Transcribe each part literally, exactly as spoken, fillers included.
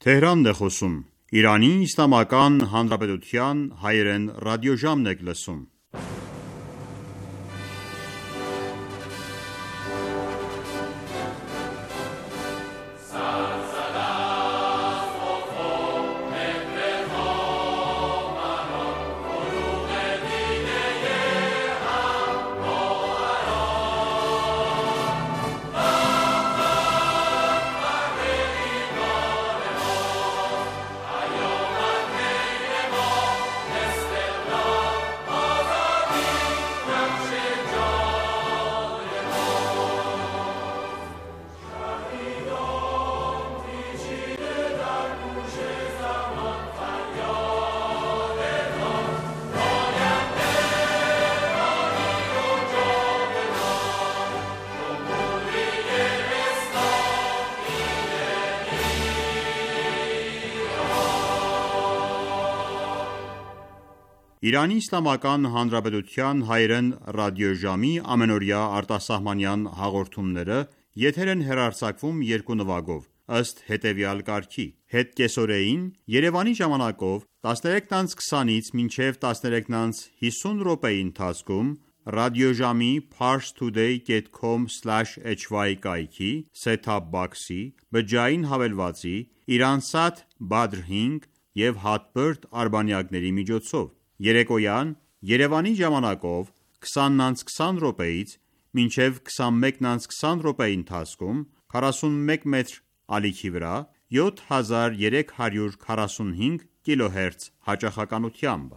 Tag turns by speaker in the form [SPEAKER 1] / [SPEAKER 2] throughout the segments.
[SPEAKER 1] Թեհրանն է խոսում։ Իրանի Իսլամական Հանրապետության հայերեն ռադիոժամն եք լսում։ Իրանի Իսլամական Հանրապետության հայերեն ռադիոժամի ամենօրյա արտասահմանյան հաղորդումները եթեր են հեռարձակվում երկու նվագով, ըստ հետևյալ կարգի. Հետկեսօրեին Երևանի ժամանակով տասներեքից քսանից մինչև տասներեքից հիսուն րոպեի ընթացքում ռադիոժամի parstoday dot com slash h y կայքի set-top box-ի, բջջային հավելվածի, Iransat Badr հինգ և Hotbird արբանյակների միջոցով։ Երեկոյան Երևանի ժամանակով քսանից քսան րոպեից մինչև քսանմեկից քսան րոպեի ընթացքում քառասունմեկ մետր ալիքի վրա յոթ հազար երեք հարյուր քառասունհինգ կիլոհերց հաճախականությամբ։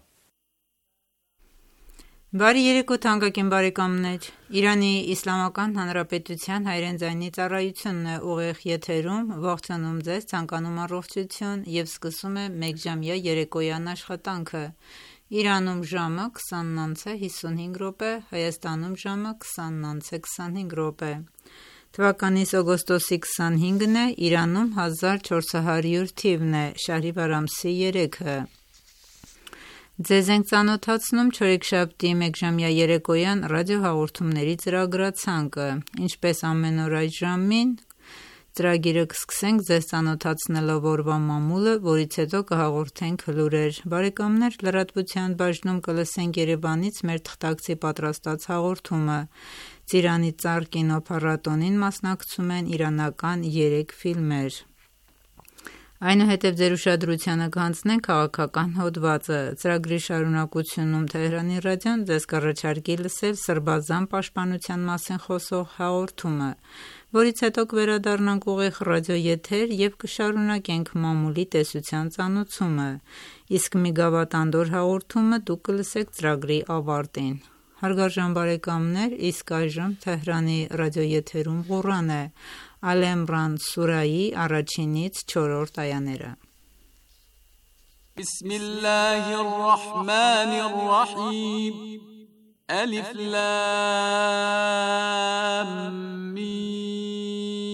[SPEAKER 2] Բարի երեկո թանկագին բարեկամներ, Իրանի Իսլամական Հանրապետության հայերեն ձայնի ծառայությունն է ուղիղ եթերում, ողջունում ձեզ, ցանկանում առողջություն և սկսում է մեկժամյա երեկոյան աշխատանքը։ Իրանում ժամը քսանն անց է հիսունհինգ րոպե, Հայաստանում ժամը քսանն անց է քսանհինգ րոպե։ Թվականիս օգոստոսի քսանհինգն է, Իրանում հազար չորս հարյուր թիվն է, Շահրիվար ամսի երեքը։ Ձեզ ենք ծանոթացնում չորեքշաբթի մեկժամյա երեկոյան ռադիոհաղորդումների ծրագրացանկը, ինչպես ամեն օր այս ժամին ծրագիրը կսկսենք ձեզ ծանոթացնելով օրվա մամուլը, որից հետո կհաղորդենք լուրեր։ Բարեկամներ, լրատվության բաժնում կլսենք Երևանից մեր թղթակցի պատրաստած հաղորդումը։ Ծիրանի ծառ կինոփառատոնին մասնակցում են իրանական երեք ֆիլմեր։ Այնուհետև ձեր ուշադրությանը կհանձնենք քաղաքական հոդվածը։ Ծրագրի շարունակությունում Թեհրանի ռադիոն ձեզ կառաջարկի լսել Սրբազան պաշտպանության մասին խոսող հաղորդումը, որից հետո կվերադառնանք ուղիղ ռադիոեթեր և կշարունակենք մամուլի տեսության ծանոթումը, իսկ մի գավաթանդոր հաղորդումը դուք կլսեք ծրագրի ավարտին։ Հարգարժան բարեկամներ, իսկ այժմ Թեհրանի ռադիոեթերում Ղուրան է, Ալ Իմրան սուրայի առաջինից չորրորդ այաները։
[SPEAKER 3] Բիսմիլլահիր ռահմանիր ռահիմ Ալիֆ լամ միմ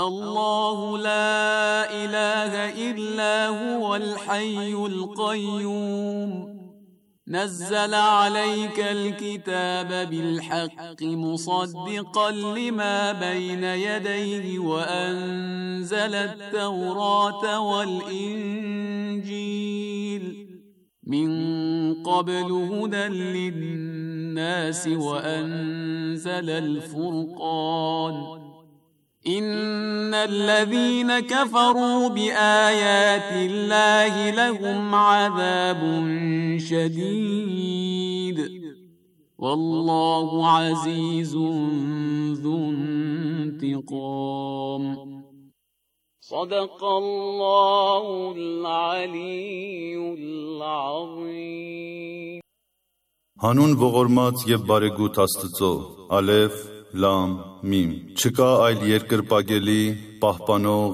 [SPEAKER 3] Ալլահու լա իլահա իլլա հուվալ հաyyul qayyum نزل عليك الكتاب بالحق مصدقا لما بين يديه وأنزل التوراة والإنجيل من قبل هدى للناس وأنزل الفرقان إن الذين كفروا بآيات الله لهم عذاب شديد والله عزيز ذو انتقام صدق الله العلي العظيم
[SPEAKER 4] Հանուն ողորմած և բարեգութ Աստծո, Ալեֆ, Լամ, Միմ։ Չկա այլ երկրպագելի, պահպանող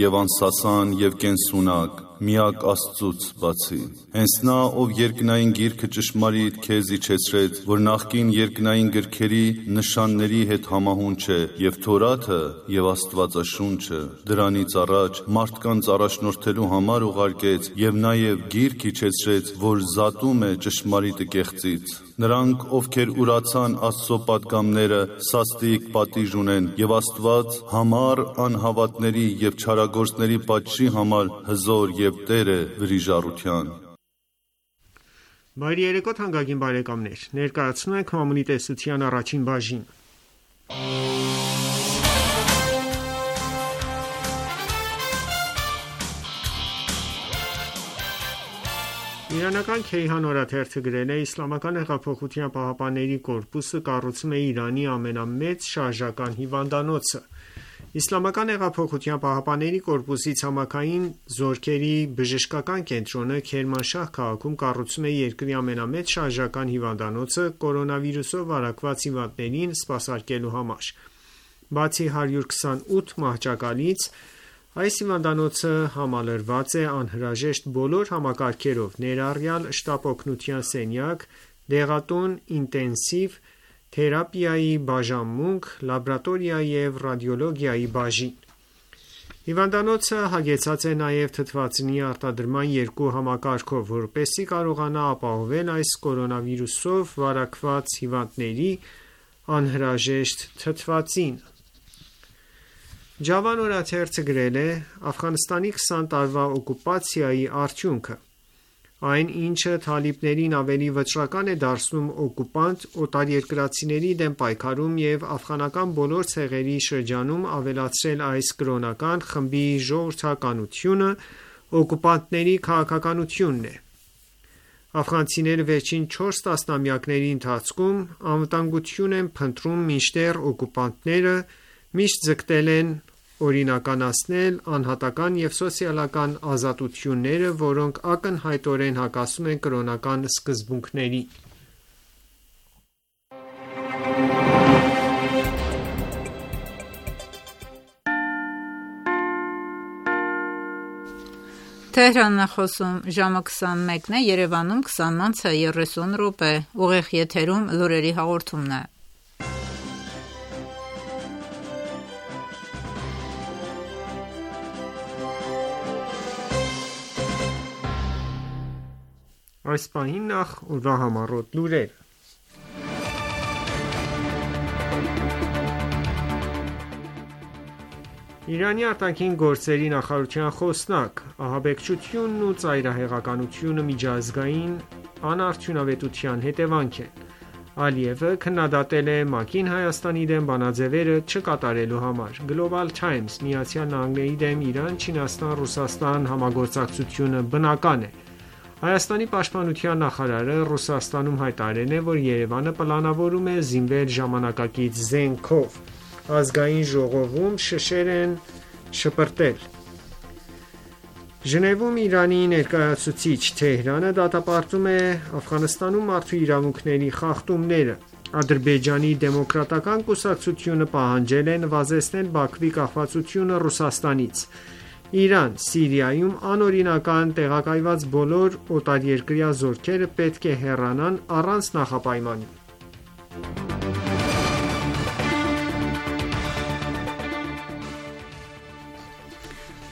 [SPEAKER 4] և անսասան և կենսունակ, միակ Աստծուց բացի։ Հենց նա, ով երկնային գիրքը ճշմարիտ քեզ իջեցրեց, որ նախկին երկնային գրքերի նշանների հետ համահունչ է, և Թորաթը և Աստվածաշունչը դրանից առաջ մարդկանց առաջնորդելու համար ուղարկեց, և նաև գիրք իջեցրեց, որ զատում է ճշմարիտը կեղծից։ Նրանք, ովքեր ուրացան Աստծո պատգամները, սաստիկ պատիժ ունեն, և Աստված համառ անհավատների և չարագործների պատժի համար հզոր և Տեր է վրիժառության։
[SPEAKER 5] Բարի երեկո թանկագին բարեկամներ, ներկայացնում ենք «Մամուլի տեսության» առաջին բաժինը։ Իրանական «Քեյհան» օրաթերթը գրել է. «Իսլամական հեղափոխության պահապանների կորպուսը կառուցում է Իրանի ամենամեծ շարժական հիվանդանոցը»։ Իսլամական հեղափոխության պահապանների կորպուսի ցամաքային զորքերի բժշկական կենտրոնը Քերմանշահ քաղաքում կառուցում է երկրի ամենամեծ շարժական հիվանդանոցը կորոնավիրուսով վարակված հիվանդներին սպասարկելու համար։ Բացի հարյուր քսանութ մահճակալից, այս հիվանդանոցը համալրված է անհրաժեշտ բոլոր համակարգերով, ներառյալ շտապօգնության սենյակ, դեղատուն, ինտենսիվ թերապիայի բաժանմունք, լաբորատորիա և ռադիոլոգիայի բաժին։ Հիվանդանոցը հագեցած է նաև թթվածնի արտադրման երկու համակարգով, որպեսզի կարողանա ապահովել այս կորոնավիրուսով վարակված հիվանդների անհրաժեշտ թթվածինը։ Ջավան օրաթերթը գրել է. «Աֆղանստանի քսան տարվա օկուպացիայի արդյունքը։ Այն, ինչը թալիբներին ավելի վճռական է դարձնում օկուպանտ օտարերկրացիների դեմ պայքարում և աֆղանական բոլոր ցեղերի շրջանում ավելացրել այս կրոնական խմբի ժողովրդականությունը, օկուպանտների քաղաքականությունն է։ Աֆղանցիները վերջին չորս տասնամյակների ընթացքում անվտանգություն են փնտրում, մինչդեռ օկուպանտները միշտ ձգտել են օրինականացնել անհատական և սոցիալական ազատությունները, որոնք ակնհայտորեն հակասում են կրոնական սկզբունքներին»։
[SPEAKER 2] Թեհրանն է խոսում, ժամը քսանմեկն է, Երևանում քսանն է երեսուն րոպե, ուղիղ եթերում լուրերի հաղորդումն է։
[SPEAKER 5] Այս պահին նախ օրվա համառոտ լուրերը։ Իրանի արտաքին գործերի նախարարության խոսնակ. «Ահաբեկչությունն ու ծայրահեղականությունը միջազգային անարդյունավետության հետևանք են»։ Ալիևը քննադատել է ՄԱԿ-ին Հայաստանի դեմ բանաձևերը չկատարելու համար։ Global Times. ԱՄՆ-ի դեմ Իրան-Չինաստան-Ռուսաստան համագործակցությունը բնական է։ Հայաստանի պաշտպանության նախարարը Ռուսաստանում հայտարարել է, որ Երևանը պլանավորում է զինվել ժամանակակից զենքով։ Ազգային ժողովում շշեր են շպրտել։ Ժնևում Իրանի ներկայացուցիչ. Թեհրանը դատապարտում է Աֆղանստանում մարդու իրավունքների խախտումները։ Ադրբեջանի դեմոկրատական կուսակցությունը պահանջել է նվազեցնել Բաքվի կախվածությունը Ռուսաստանից։ Իրան. Սիրիայում անօրինական տեղակայված բոլոր օտարերկրյա զորքերը պետք է հեռանան առանց նախապայմանի։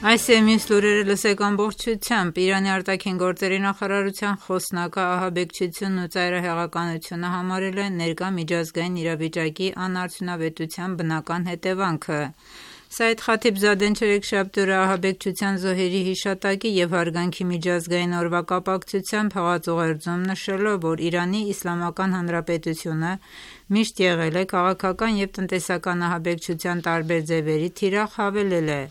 [SPEAKER 2] Այս և մյուս լուրերը լսեք ամբողջությամբ։ Իրանի արտաքին գործերի նախարարության խոսնակը ահաբեկչությունն ու ծայրահեղականությունը համարել է ներկա միջազգային իրավիճակի անարդյունավետության բնական հետևանքը։ Սայեդ Խաթիբզադեն չորեքշաբթի օրը ահաբեկչության զոհերի հիշատակի և հարգանքի միջազգային օրվա կապակցությամբ հղած ուղերձում նշելով, որ Իրանի Իսլամական Հանրապետությունը միշտ եղել է քաղաքական և տնտեսական ահաբեկչության տարբեր ձևերի թիրախ, հավելել է.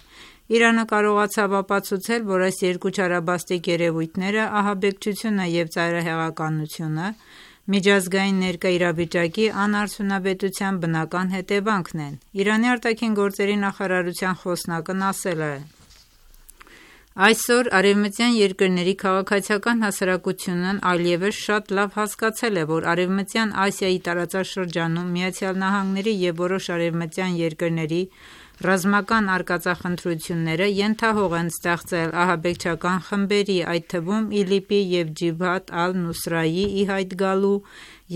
[SPEAKER 2] «Իրանը կարողացավ ապացուցել, որ այս երկու չարաբաստիկ երևույթները՝ ահաբեկչությունը և ծայրահեղականությունը, միջազգային ներկա իրավիճակի անարդյունավետության բնական հետևանքն են»։ Իրանի արտաքին գործերի նախարարության խոսնակն ասել է. «Այսօր արևմտյան երկրների քաղաքացիական հասարակությունն այլևս շատ լավ հասկացել է, որ Արևմտյան Ասիայի տարածաշրջանում ԱՄՆ-ի և որոշ արևմտյան երկրների Ռազմական արկածախնդրությունները ենթահող են ստեղծել ահաբեկչական խմբերի, այդ թվում ԻԼԻՊ-ի և Ջիբհաթ ալ-Նուսրայի ի հայտ գալու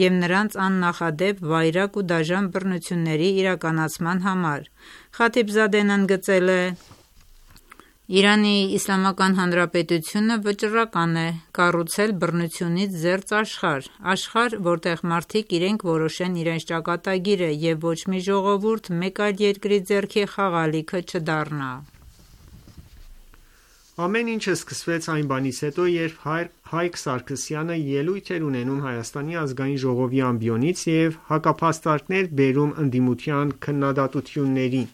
[SPEAKER 2] և նրանց աննախադեպ, վայրագ ու դաժան բռնությունների իրականացման համար։ Խաթիբզադեն ընդգծել է. «Իրանի Իսլամական Հանրապետությունը վճռական է կառուցել բռնությունից զերծ աշխարհ, աշխարհ, որտեղ մարդիկ իրենք որոշեն իրենց ճակատագիրը և ոչ մի ժողովուրդ մեկ այլ երկրի ձեռքի խաղալիքը չդառնա»։
[SPEAKER 5] Ամեն ինչը սկսվեց այն բանից հետո, երբ Հայկ Սարգսյանը ելույթ էր ունենում Հայաստանի ազգային ժողովի ամբիոնից և հակափաստարկներ բերում ընդդիմության քննադատություններին։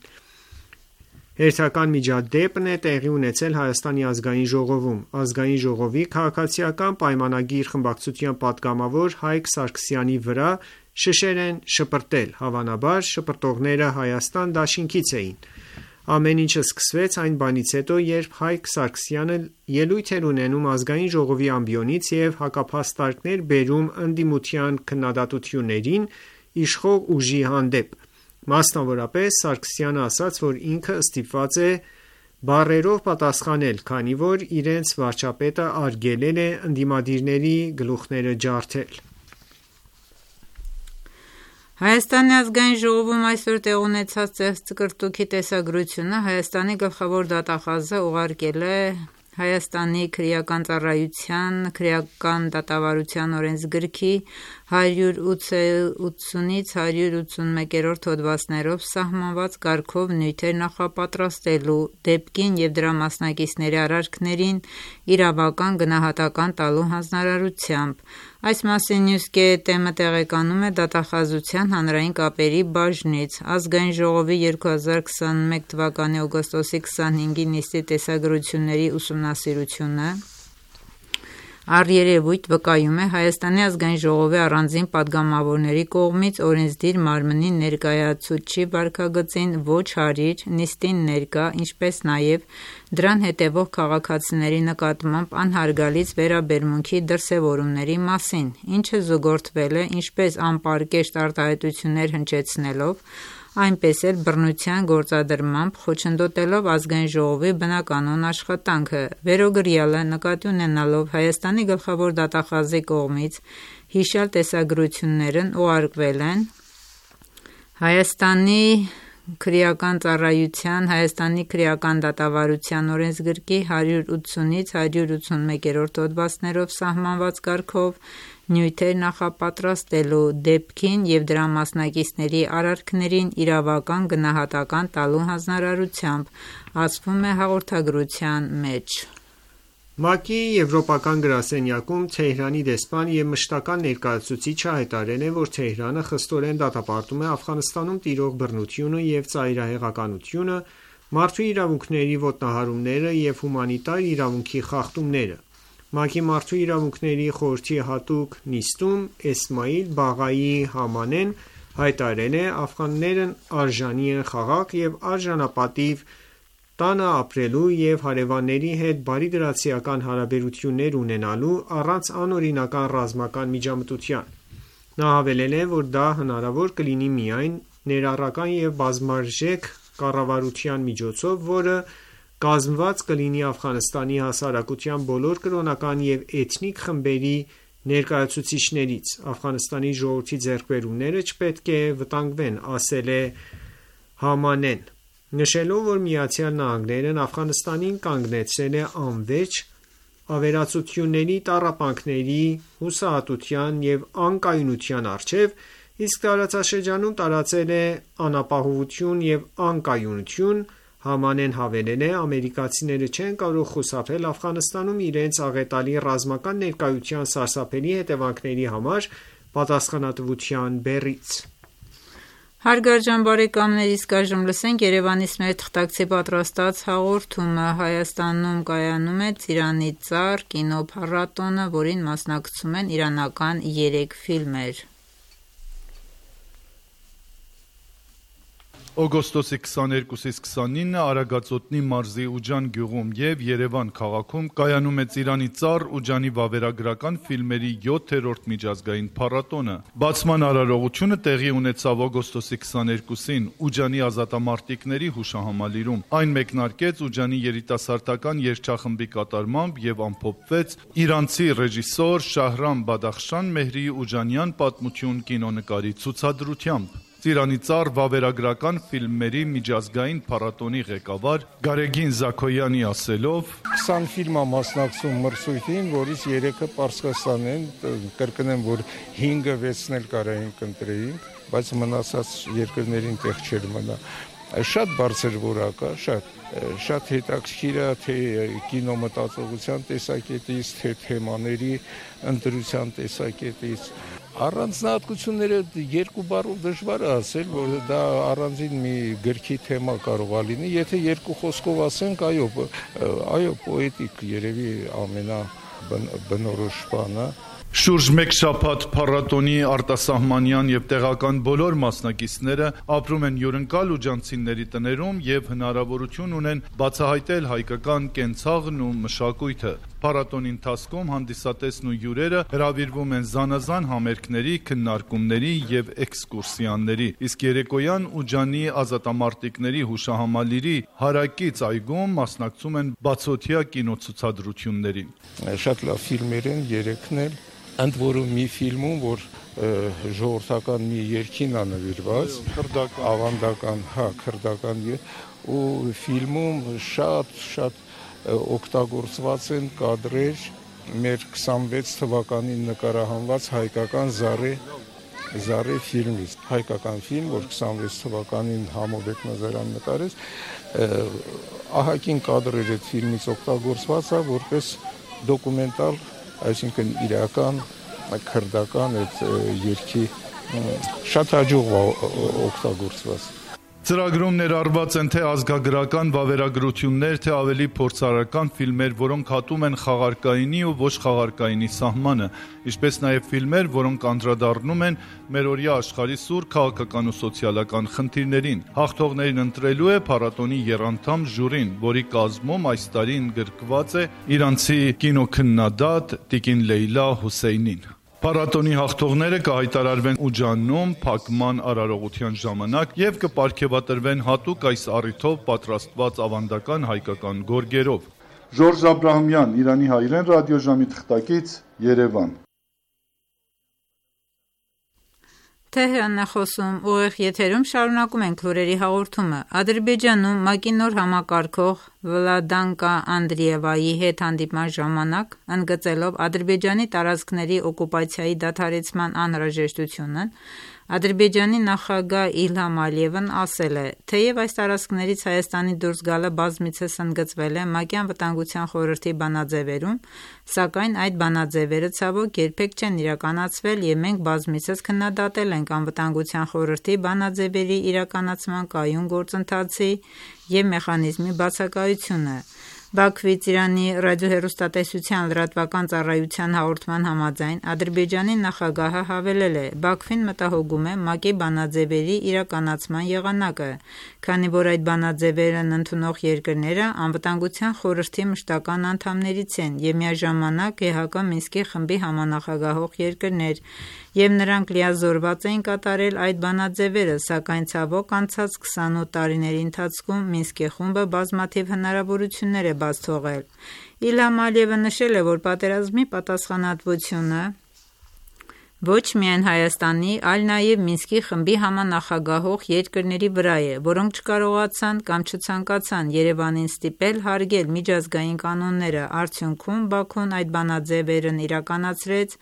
[SPEAKER 5] Հերթական միջադեպն է տեղի ունեցել Հայաստանի ազգային ժողովում։ Ազգային ժողովի քաղաքացիական պայմանագիր խմբակցության պատգամավոր Հայկ Սարգսյանի վրա շշեր են շպրտել, հավանաբար շպրտողները Հայաստան դաշինքից էին։ Ամեն ինչը սկսվեց այն բանից հետո, երբ Հայկ Սարգսյանը ելույթ էր ունենում ազգային ժողովի ամբիոնից և հակափաստարկներ բերում ընդդիմության քննադատություններին իշխող ուժի հանդեպ։ Մասնավորապես Սարգսյանը ասաց, որ ինքը ստիպված է բառերով պատասխանել, քանի որ իրենց վարչապետը արգելել է ընդդիմադիրների գլուխները ջարդել։
[SPEAKER 2] Հայաստանի ազգային ժողովում այսօր տեղ ունեցած ծեղծկռտուքի տեսագրությունը Հայաստանի գլխավոր դատախազը ուղարկել է Հայաստանի քրեական ծառայության քրեական դատավարության օրենսգրքի հարյուր ութսունից հարյուր ութսունմեկերորդ հոդվածներով սահմանված կարգով նյութեր նախապատրաստելու, դեպքին և դրա մասնակիցների արարքներին իրավական գնահատական տալու հանձնարարությամբ։ Այս մասին Նյուզգեթ-ը տեղեկանում է դատախազության հանրային կապերի բաժնից։ Ազգային ժողովի երկու հազար քսանմեկ թվականի օգոստոսի քսանհինգի նիստի տեսագրությունների ուսումնասիրությունը առերևույթ վկայում է Հայաստանի ազգային ժողովի առանձին պատգամավորների կողմից օրենսդիր մարմնի ներկայացուցչի վարքագծին ոչ հարիր, նիստին ներկա, ինչպես նաև դրան հետևող քաղաքացիների նկատմամբ անհարգալից վերաբերմունքի դրսևորումների մասին, ինչը զուգորդվել է ինչպես անպարկեշտ արտահայտություններ հնչեցնելով, այնպես էլ բռնության գործադրմամբ խոչընդոտելով ազգային ժողովի բնականոն աշխատանքը։ Վերոգրյալը նկատի ունենալով Հայաստանի գլխավոր դատախազի կողմից հիշյալ տեսագրություններն ուղարկվել են Հայաստանի քրեական ծառայության Հայաստանի քրեական դատավարության օրենսգրքի հարյուր ութսունից հարյուր ութսունմեկերորդ հոդվածներով սահմանված կարգով նյութեր նախապատրաստելու, դեպքին և դրա մասնակիցների արարքներին իրավական գնահատական տալու հանձնարարությամբ, ասվում է հաղորդագրության մեջ։
[SPEAKER 5] ՄԱԿ-ի Եվրոպական գրասենյակում Թեհրանի դեսպան և մշտական ներկայացուցիչը հայտարարել են, որ Թեհրանը խստորեն դատապարտում է Աֆղանստանում տիրող բռնությունը և ծայրահեղականությունը, մարդու իրավունքների ոտնահարումները և հումանիտար իրավունքի խախտումները։ ՄԱԿ-ի Մարդու իրավունքների խորհրդի հատուկ նիստում Էսմայիլ Բաղայի Համանեն հայտարարել է. «Աֆղաններն արժանի են խաղաղ և արժանապատիվ տանը ապրելու և հարևանների հետ բարիդրացիական հարաբերություններ ունենալու առանց անօրինական ռազմական միջամտության»։ Նա հավելել է, որ դա հնարավոր կլինի միայն ներառական և բազմարժեք կառավարության միջոցով, որը կազմված կլինի Աֆղանստանի հասարակության բոլոր կրոնական և էթնիկ խմբերի ներկայացուցիչներից։ Աֆղանստանի ժողովրդի ձեռքբերումները չպետք է վտանգվեն, ասել է Համանեն, նշելով, որ Միացյալ Նահանգներն Աֆղանստանին կանգնեցրել է անվերջ ավերածությունների, տառապանքների, հուսահատության և անկայունության առջև, իսկ տարածաշրջանում տարածել է անապահովություն և անկայունություն։ Համանեն հավելել է. «Ամերիկացիները չեն կարող խուսափել Աֆղանստանում իրենց աղետալի ռազմական ներկայության սարսափելի հետևանքների համար պատասխանատվության բեռից»։
[SPEAKER 2] Հարգարժան բարեկամներ, իսկ այժմ լսենք Երևանից մեր թղթակցի պատրաստած հաղորդումը։ Հայաստանում կայանում է Ծիրանի ծառ կինոփառատոնը, որին մասնակցում են իրանական երեք ֆիլմեր։
[SPEAKER 4] Օգոստոսի քսաներկուսից քսանինը Արագածոտնի մարզի Ուջան գյուղում եւ Երևան քաղաքում կայանում է Ծիրանի ծառ Ուջանի վավերագրական ֆիլմերի յոթերորդ միջազգային փառատոնը։ Բացման արարողությունը տեղի ունեցավ օգոստոսի քսաներկուսին Ուջանի ազատամարտիկների հուշահամալիրում։ Այն մեկնարկեց Ուջանի երիտասարդական երգչախմբի կատարմամբ եւ ամփոփվեց իրանցի ռեժիսոր Շահրամ Բադախշան Մեհրի Ուջանյան պատմություն կինոնկարի ցուցադրությամբ։ Ծիրանի ծառ վավերագրական ֆիլմերի միջազգային փառատոնի ղեկավար Գարեգին Զաքոյանի ասելով.
[SPEAKER 6] քսան ֆիլմ է մասնակցում մրցույթին, որից երեքը Պարսկաստան են, կրկնեմ, որ հինգը վեցն էլ կարային կընտրեին, բայց մնացած երկրներին տեղ չէր մնա։ Շատ բարձր որակ է, շատ շատ հետաքրքիր է թե կինոմտածողության տեսակետից, թե թեմաների ընտրության տեսակետից։ Առանձնահատկությունները երկու բառով դժվար է ասել, որ դա առանձին մի գրքի թեմա կարող է լինի, եթե երկու խոսքով ասենք, այո, այո, պոետիկ երևի ամենաբնորոշ բանը։
[SPEAKER 4] Շուրջ մեկ շաբաթ փառատոնի արտասահմանյան եւ տեղական բոլոր մասնակիցները ապրում են հյուրընկալ ուջանցիների տներում եւ հնարավորություն ունեն բացահայտել հայկական կենցաղն ու մշակույթը։ Փառատոնի ընթացքում հանդիսատեսն ու հյուրերը հրավիրվում են զանազան համերգների, քննարկումների եւ էքսկուրսիաների։ Իսկ երեկոյան Ուջանի ազատամարտիկների հուշահամալիրի հարակից այգում մասնակցում են բացօթյա կինոցուցադրություններին։
[SPEAKER 6] Շատ լավ ֆիլմեր են, երեքն էլ ընդ որում մի ֆիլմում, որ ժողովրդական մի երգին է նվիրված, ավանդական, հա, քրդական, ու ֆիլմում շատ շատ օգտագործված են կադրեր մեր քսանվեց թվականին նկարահանված հայկական Զարե Զարե ֆիլմից, հայկական ֆիլմ, որ քսանվեց թվականին Համոբեկ Նազարյան նկարեց, ահագին կադրեր այդ ֆիլմից օգտագործված է որպես դոկումենտալ, այսինքն իրական, քրդական այդ երգի շատ հաջող օգտագործված։
[SPEAKER 4] Ծրագրում ներառված են թե ազգագրական վավերագրություններ, թե ավելի փորձարարական ֆիլմեր, որոնք հատում են խաղարկայինի ու ոչ խաղարկայինի սահմանը, ինչպես նաև ֆիլմեր, որոնք անդրադառնում են մերօրյա աշխարհի սուր քաղաքական ու սոցիալական խնդիրներին։ Հաղթողներին ընտրելու է փառատոնի եռանդամ ժյուրին, որի կազմում այս տարի ընդգրկված է իրանցի կինոքննադատ Տիկին Լեյլա Հուսեյնին։ Փառատոնի հաղթողները կհայտարարվեն Ուջանում փակման արարողության ժամանակ եւ կպարգեւատրվեն հատուկ այս առիթով պատրաստված ավանդական հայկական գորգերով։
[SPEAKER 7] Ժորժ Աբրահամյան, Իրանի հայրեն ռադիոժամի թղթակից, Երևան։
[SPEAKER 2] Թեհրանն է խոսում, ուղիղ եթերում շարունակում ենք լուրերի հաղորդումը։ Ադրբեջանում ՄԱԿ-ի նոր համակարգող Վլադանկա Անդրիևայի հետ հանդիպման ժամանակ, ընդգծելով Ադրբեջանի տարածքների օկուպացիայի դադարեցման անհրաժեշտությունն, Ադրբեջանի նախագահ Իլհամ Ալիևն ասել է, թեև այս տարածքներից Հայաստանի դուրս գալը բազմիցս ընդգծվել է ՄԱԿ-ի Անվտանգության խորհրդի բանաձևերում, սակայն այդ բանաձևերը ցավոք երբեք չեն իրականացվել եւ մենք բազմիցս քննադատել ենք Անվտանգության խորհրդի բանաձևերի իրականացման կայուն գործընթացի եւ մեխանիզմի բացակայությունը։ Բաքվից Իրանի ռադիոհեռուստատեսության լրատվական ծառայության հաղորդման համաձայն Ադրբեջանի նախագահը հավելել է. Բաքվին մտահոգում է ՄԱԿ-ի բանաձևերի իրականացման եղանակը, քանի որ այդ բանաձևերն ընդունող երկրները Անվտանգության խորհրդի մշտական անդամներից են եւ միաժամանակ ԵՀԿ Մինսկի խմբի համանախագահող երկրներ, եւ նրանք լիազորված էին կատարել այդ բանաձևերը, սակայն ցավոք անցած քսանութ տարիների ընթացքում Մինսկի խումբը բազմաթիվ հնարավորություններ է բաց թողել։ Իլհամ Ալիևը նշել է, որ պատերազմի պատասխանատվությունը ոչ միայն Հայաստանի, այլ նաև Մինսկի խմբի համանախագահող երկրների վրա է, որոնք չկարողացան կամ չցանկացան Երևանին ստիպել հարգել միջազգային կանոնները, արդյունքում Բաքուն այդ բանաձևերն իրականացրեց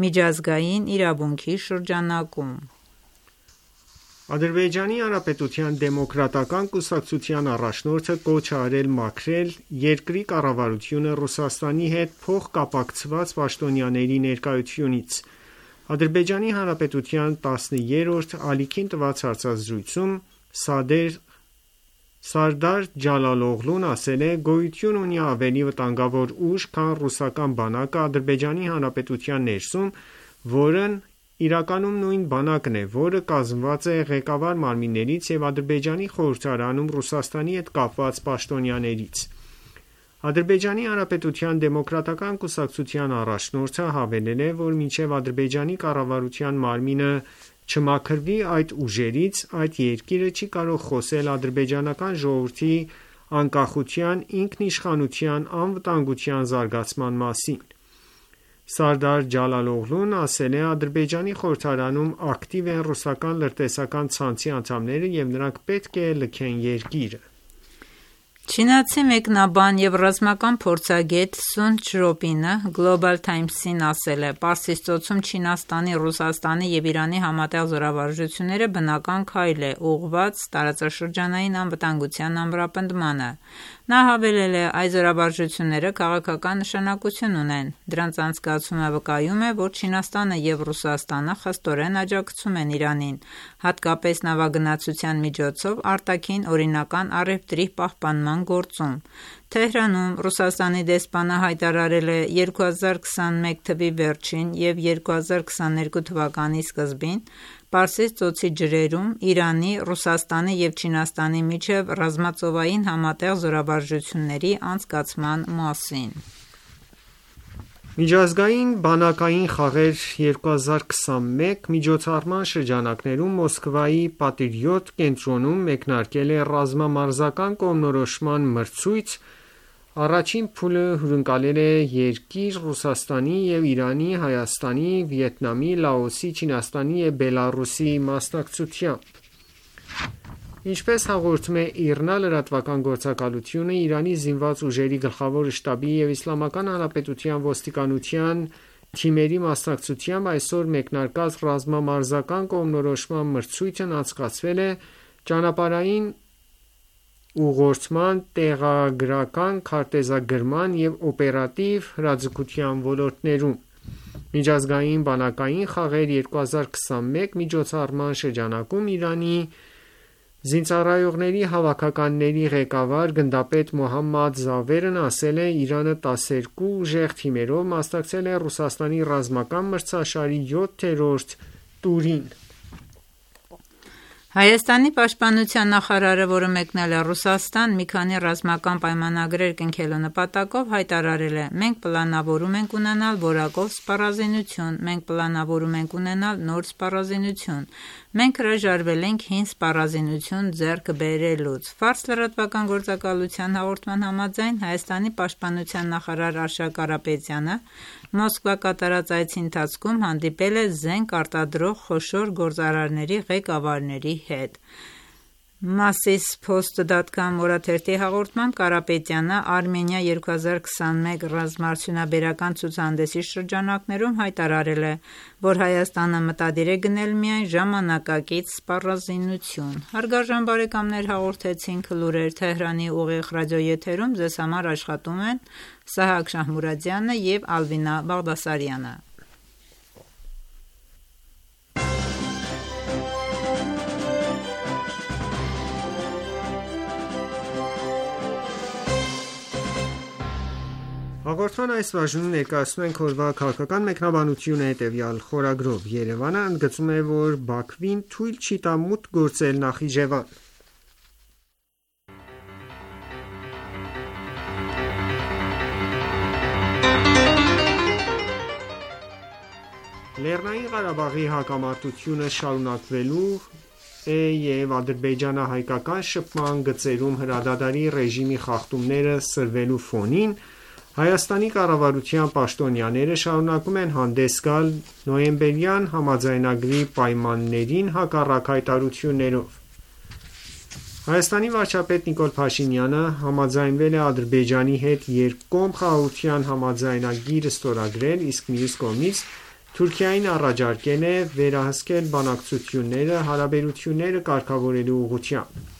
[SPEAKER 2] միջազգային իրավունքի շրջանակում։
[SPEAKER 5] Ադրբեջանի Հանրապետության դեմոկրատական կուսակցության առաջնորդը կոչ է արել մաքրել երկրի կառավարությունը Ռուսաստանի հետ փոխկապակցված պաշտոնյաների ներկայությունից։ Ադրբեջանի Հանրապետության տասներորդ ալիքին տված հարցազրույցում Սադեր Սարդար Ջալալօղլուն ասել է. գոյություն ունի ավելի վտանգավոր ուժ, քան ռուսական բանակը Ադրբեջանի Հանրապետության ներսում, որն իրականում նույն բանակն է, որը կազմված է ղեկավար մարմիններից և Ադրբեջանի խորհրդարանում Ռուսաստանի հետ կապված պաշտոնյաներից։ Ադրբեջանի Հանրապետության դեմոկրատական կուսակցության առաջնորդը հավելել է, որ մինչև Ադրբեջանի կառավարության մարմինը չմաքրվի այդ ուժերից, այդ երկիրը չի կարող խոսել ադրբեջանական ժողովրդի անկախության, ինքնիշխանության, անվտանգության զարգացման մասին։ Սարդար Ջալալօղլուն ասել է. Ադրբեջանի խորհրդարանում ակտիվ են ռուսական լրտեսական ցանցի անդամները և նրանք պետք է լքեն երկիրը։
[SPEAKER 2] Չինացի մեկնաբան և ռազմական փորձագետ Սուն Չրոպինը Global Times-ին ասել է. Պարսից ծոցում Չինաստանի, Ռուսաստանի և Իրանի համատեղ զորավարժությունները բնական քայլ է ուղղված տարածաշրջանային անվտանգության ամրապնդմանը։ Նա հավելել է. այս զորավարժությունները քաղաքական նշանակություն ունեն։ Դրանց անցկացումը վկայում է, որ Չինաստանը և Ռուսաստանը խստորեն աջակցում են Իրանին, հատկապես նավագնացության միջոցով արտաքին օրինական առևտրի պահպանման գործում։ Թեհրանում Ռուսաստանի դեսպանը հայտարարել է երկու հազար քսանմեկ թվականի վերջին և երկու հազար քսաներկու թվականի սկզբին Պարսից ծոցի ջրերում Իրանի, Ռուսաստանի և Չինաստանի միջև ռազմածովային համատեղ զորավարժությունների անցկացման մասին։
[SPEAKER 5] Միջազգային բանակային խաղեր երկու հազար քսանմեկ միջոցառման շրջանակներում Մոսկվայի Պատրիոտ կենտրոնում մեկնարկել է ռազմամարզական կողմնորոշման մրցույթ։ Առաջին փուլը հյուրընկալել է երկիր Ռուսաստանի և Իրանի, Հայաստանի, Վիետնամի, Լաոսի, Չինաստանի և Բելառուսի մասնակցությամբ։ Ինչպես հաղորդում է ԻՌՆԱ լրատվական գործակալությունը, Իրանի զինված ուժերի գլխավոր շտաբի և Իսլամական Հանրապետության ոստիկանության թիմերի մասնակցությամբ այսօր մեկնարկած ռազմամարզական կողմնորոշման մրցույթն անցկացվել է ճանապարհային ուղղորդման, տեղագրական, քարտեզագրման և օպերատիվ հրաձգության ոլորտներում։ Միջազգային բանակային խաղեր երկու հազար քսանմեկ միջոցառման շրջանակում Իրանի զինծառայողների հավաքականների ղեկավար գնդապետ Մոհամմադ Զավերն ասել է. Իրանը տասներկու ուժեղ թիմերով մասնակցել է Ռուսաստանի ռազմական մրցաշարի յոթերորդ տուրին։
[SPEAKER 2] Հայաստանի պաշտպանության նախարարը, որը մեկնել է Ռուսաստան մի քանի ռազմական պայմանագրեր կնքելու նպատակով, հայտարարել է. Մենք պլանավորում ենք ունենալ որակով սպառազինություն, մենք պլանավորում ենք ունենալ նոր սպառազինություն, մենք հրաժարվել ենք հին սպառազինություն ձեռք բերելուց։ Ֆարս լրատվական գործակալության հաղորդման համաձայն Հայաստանի պաշտպանության նախարար Արշակ Կարապետյանը Մոսկվա կատարած այցի ընթացքում հանդիպել է զենք արտադրող խոշոր գործարարների ղեկավարների հետ։ Masispost.com օրաթերթի հաղորդմամբ Կարապետյանը Արմենիա երկու հազար քսանմեկ ռազմաարդյունաբերական ցուցահանդեսի շրջանակներում հայտարարել է, որ Հայաստանը մտադիր է գնել միայն ժամանակակից սպառազինություն։ Հարգարժան բարեկամներ, հաղորդեցինք լուրեր Թեհրանի ուղիղ ռադիոեթերում, ձեզ համար աշխատում են Սահակ Շահմուրադյանը և Ալվինա Բաղդասարյանը։
[SPEAKER 5] Հաղորդման այս բաժնում ներկայացնում ենք օրվա քաղաքական մեկնաբանությունը հետևյալ խորագրով. Երևանը ընդգծում է, որ Բաքվին թույլ չի տա մուտք գործել Նախիջևան։ Լեռնային Ղարաբաղի հակամարտությունը շարունակվելու է և ադրբեջանա-հայկական շփման գծերում հրադադարի ռեժիմի խախտումները սրվելու ֆոնին Հայաստանի կառավարության պաշտոնյաները շարունակում են հանդես գալ նոյեմբերյան համաձայնագրի պայմաններին հակառակ հայտարարություններով։ Հայաստանի վարչապետ Նիկոլ Փաշինյանը համաձայնվել է Ադրբեջանի հետ երկկողմ խաղաղության համաձայնագիր ստորագրել, իսկ մյուս կողմից Թուրքիային առաջարկել է վերահսկել բանակցությունները հարաբերությունները կարգավորելու ուղղությամբ։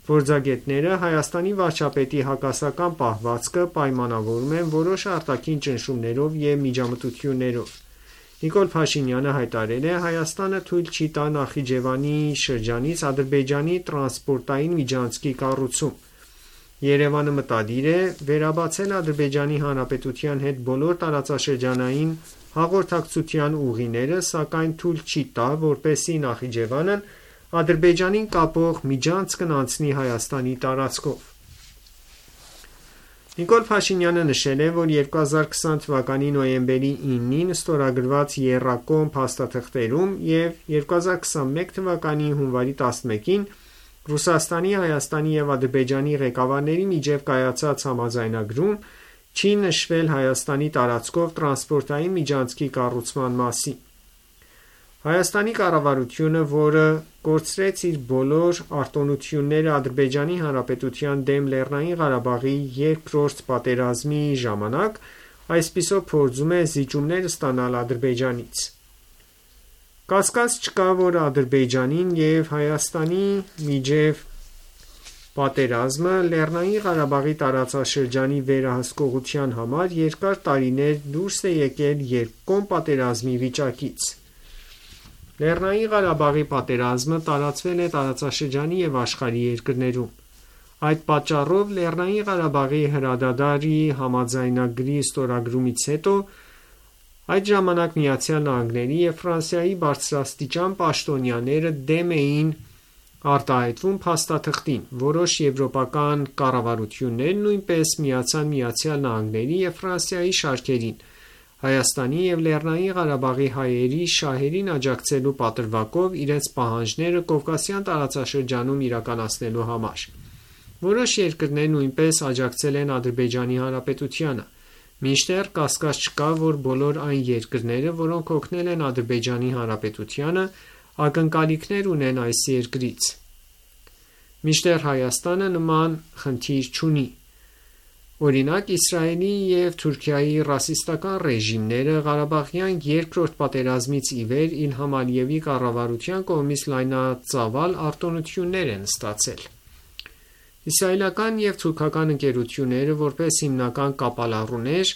[SPEAKER 5] Փորձագետները Հայաստանի վարչապետի հակասական պահվածքը պայմանավորում են որոշ արտաքին ճնշումներով և միջամտություններով։ Նիկոլ Փաշինյանը հայտարարել է. Հայաստանը թույլ չի տա Նախիջևանի շրջանից Ադրբեջանի տրանսպորտային միջանցքի կառուցում։ Երևանը մտադիր է վերաբացել Ադրբեջանի Հանրապետության հետ բոլոր տարածաշրջանային հաղորդակցության ուղիները, սակայն թույլ չի տա, որպեսզի Նախիջևանն Ադրբեջանին կապող միջանցքն անցնի Հայաստանի տարածքով։ Նիկոլ Փաշինյանը նշել է, որ երկու հազար քսան թվականի նոյեմբերի ինին ստորագրված եռակողմ փաստաթղթերում և երկու հազար քսանմեկ թվականի հունվարի տասնմեկին Ռուսաստանի, Հայաստանի և Ադրբեջանի ղեկավարների միջև կայացած համաձայնագրում չի նշվել Հայաստանի տարածքով տրանսպորտային միջանցքի կառուցման մասին։ Հայաստանի կառավարությունը, որը կորցրեց իր բոլոր արտոնությունները Ադրբեջանի Հանրապետության դեմ Լեռնային Ղարաբաղի երկրորդ պատերազմի ժամանակ, այսպիսով փորձում է զիջումներ ստանալ Ադրբեջանից։ Կասկած չկա, որ Ադրբեջանին և Հայաստանի միջև պատերազմը Լեռնային Ղարաբաղի տարածաշրջանի վերահսկողության համար երկար տարիներ դուրս է եկել երկկողմ պատերազմի վիճակից։ Լեռնային Ղարաբաղի պատերազմը տարածվել է տարածաշրջանի և աշխարհի երկրներում։ Այդ պատճառով Լեռնային Ղարաբաղի հրադադարի համաձայնագրի ստորագրումից հետո այդ ժամանակ Միացյալ Նահանգների և Ֆրանսիայի բարձրաստիճան պաշտոնյաները դեմ էին արտահայտվում փաստաթղթին։ Որոշ եվրոպական կառավարություններ նույնպես միացան Միացյալ Նահանգների և Ֆրանսիայի շարքերին՝ Հայաստանի և Լեռնային Ղարաբաղի հայերի շահերին աջակցելու պատրվակով իրենց պահանջները Կովկասյան տարածաշրջանում իրականացնելու համար։ Որոշ երկրներ նույնպես աջակցել են Ադրբեջանի Հանրապետությանը։ Մինչդեռ կասկած չկա, որ բոլոր այն երկրները, որոնք օգնել են Ադրբեջանի Հանրապետությանը, ակնկալիքներ ունեն այս երկրից։ Մինչդեռ Հայաստանը նման խնդիր չունի։ Օրինակ, Իսրայելի և Թուրքիայի ռասիստական ռեժիմները Ղարաբաղյան երկրորդ պատերազմից ի վեր Իլհամ Ալիևի կառավարության կողմից լայնածավալ արտոնություններ են ստացել։ Իսրայելական և թուրքական ընկերությունները, որպես հիմնական կապալառուներ,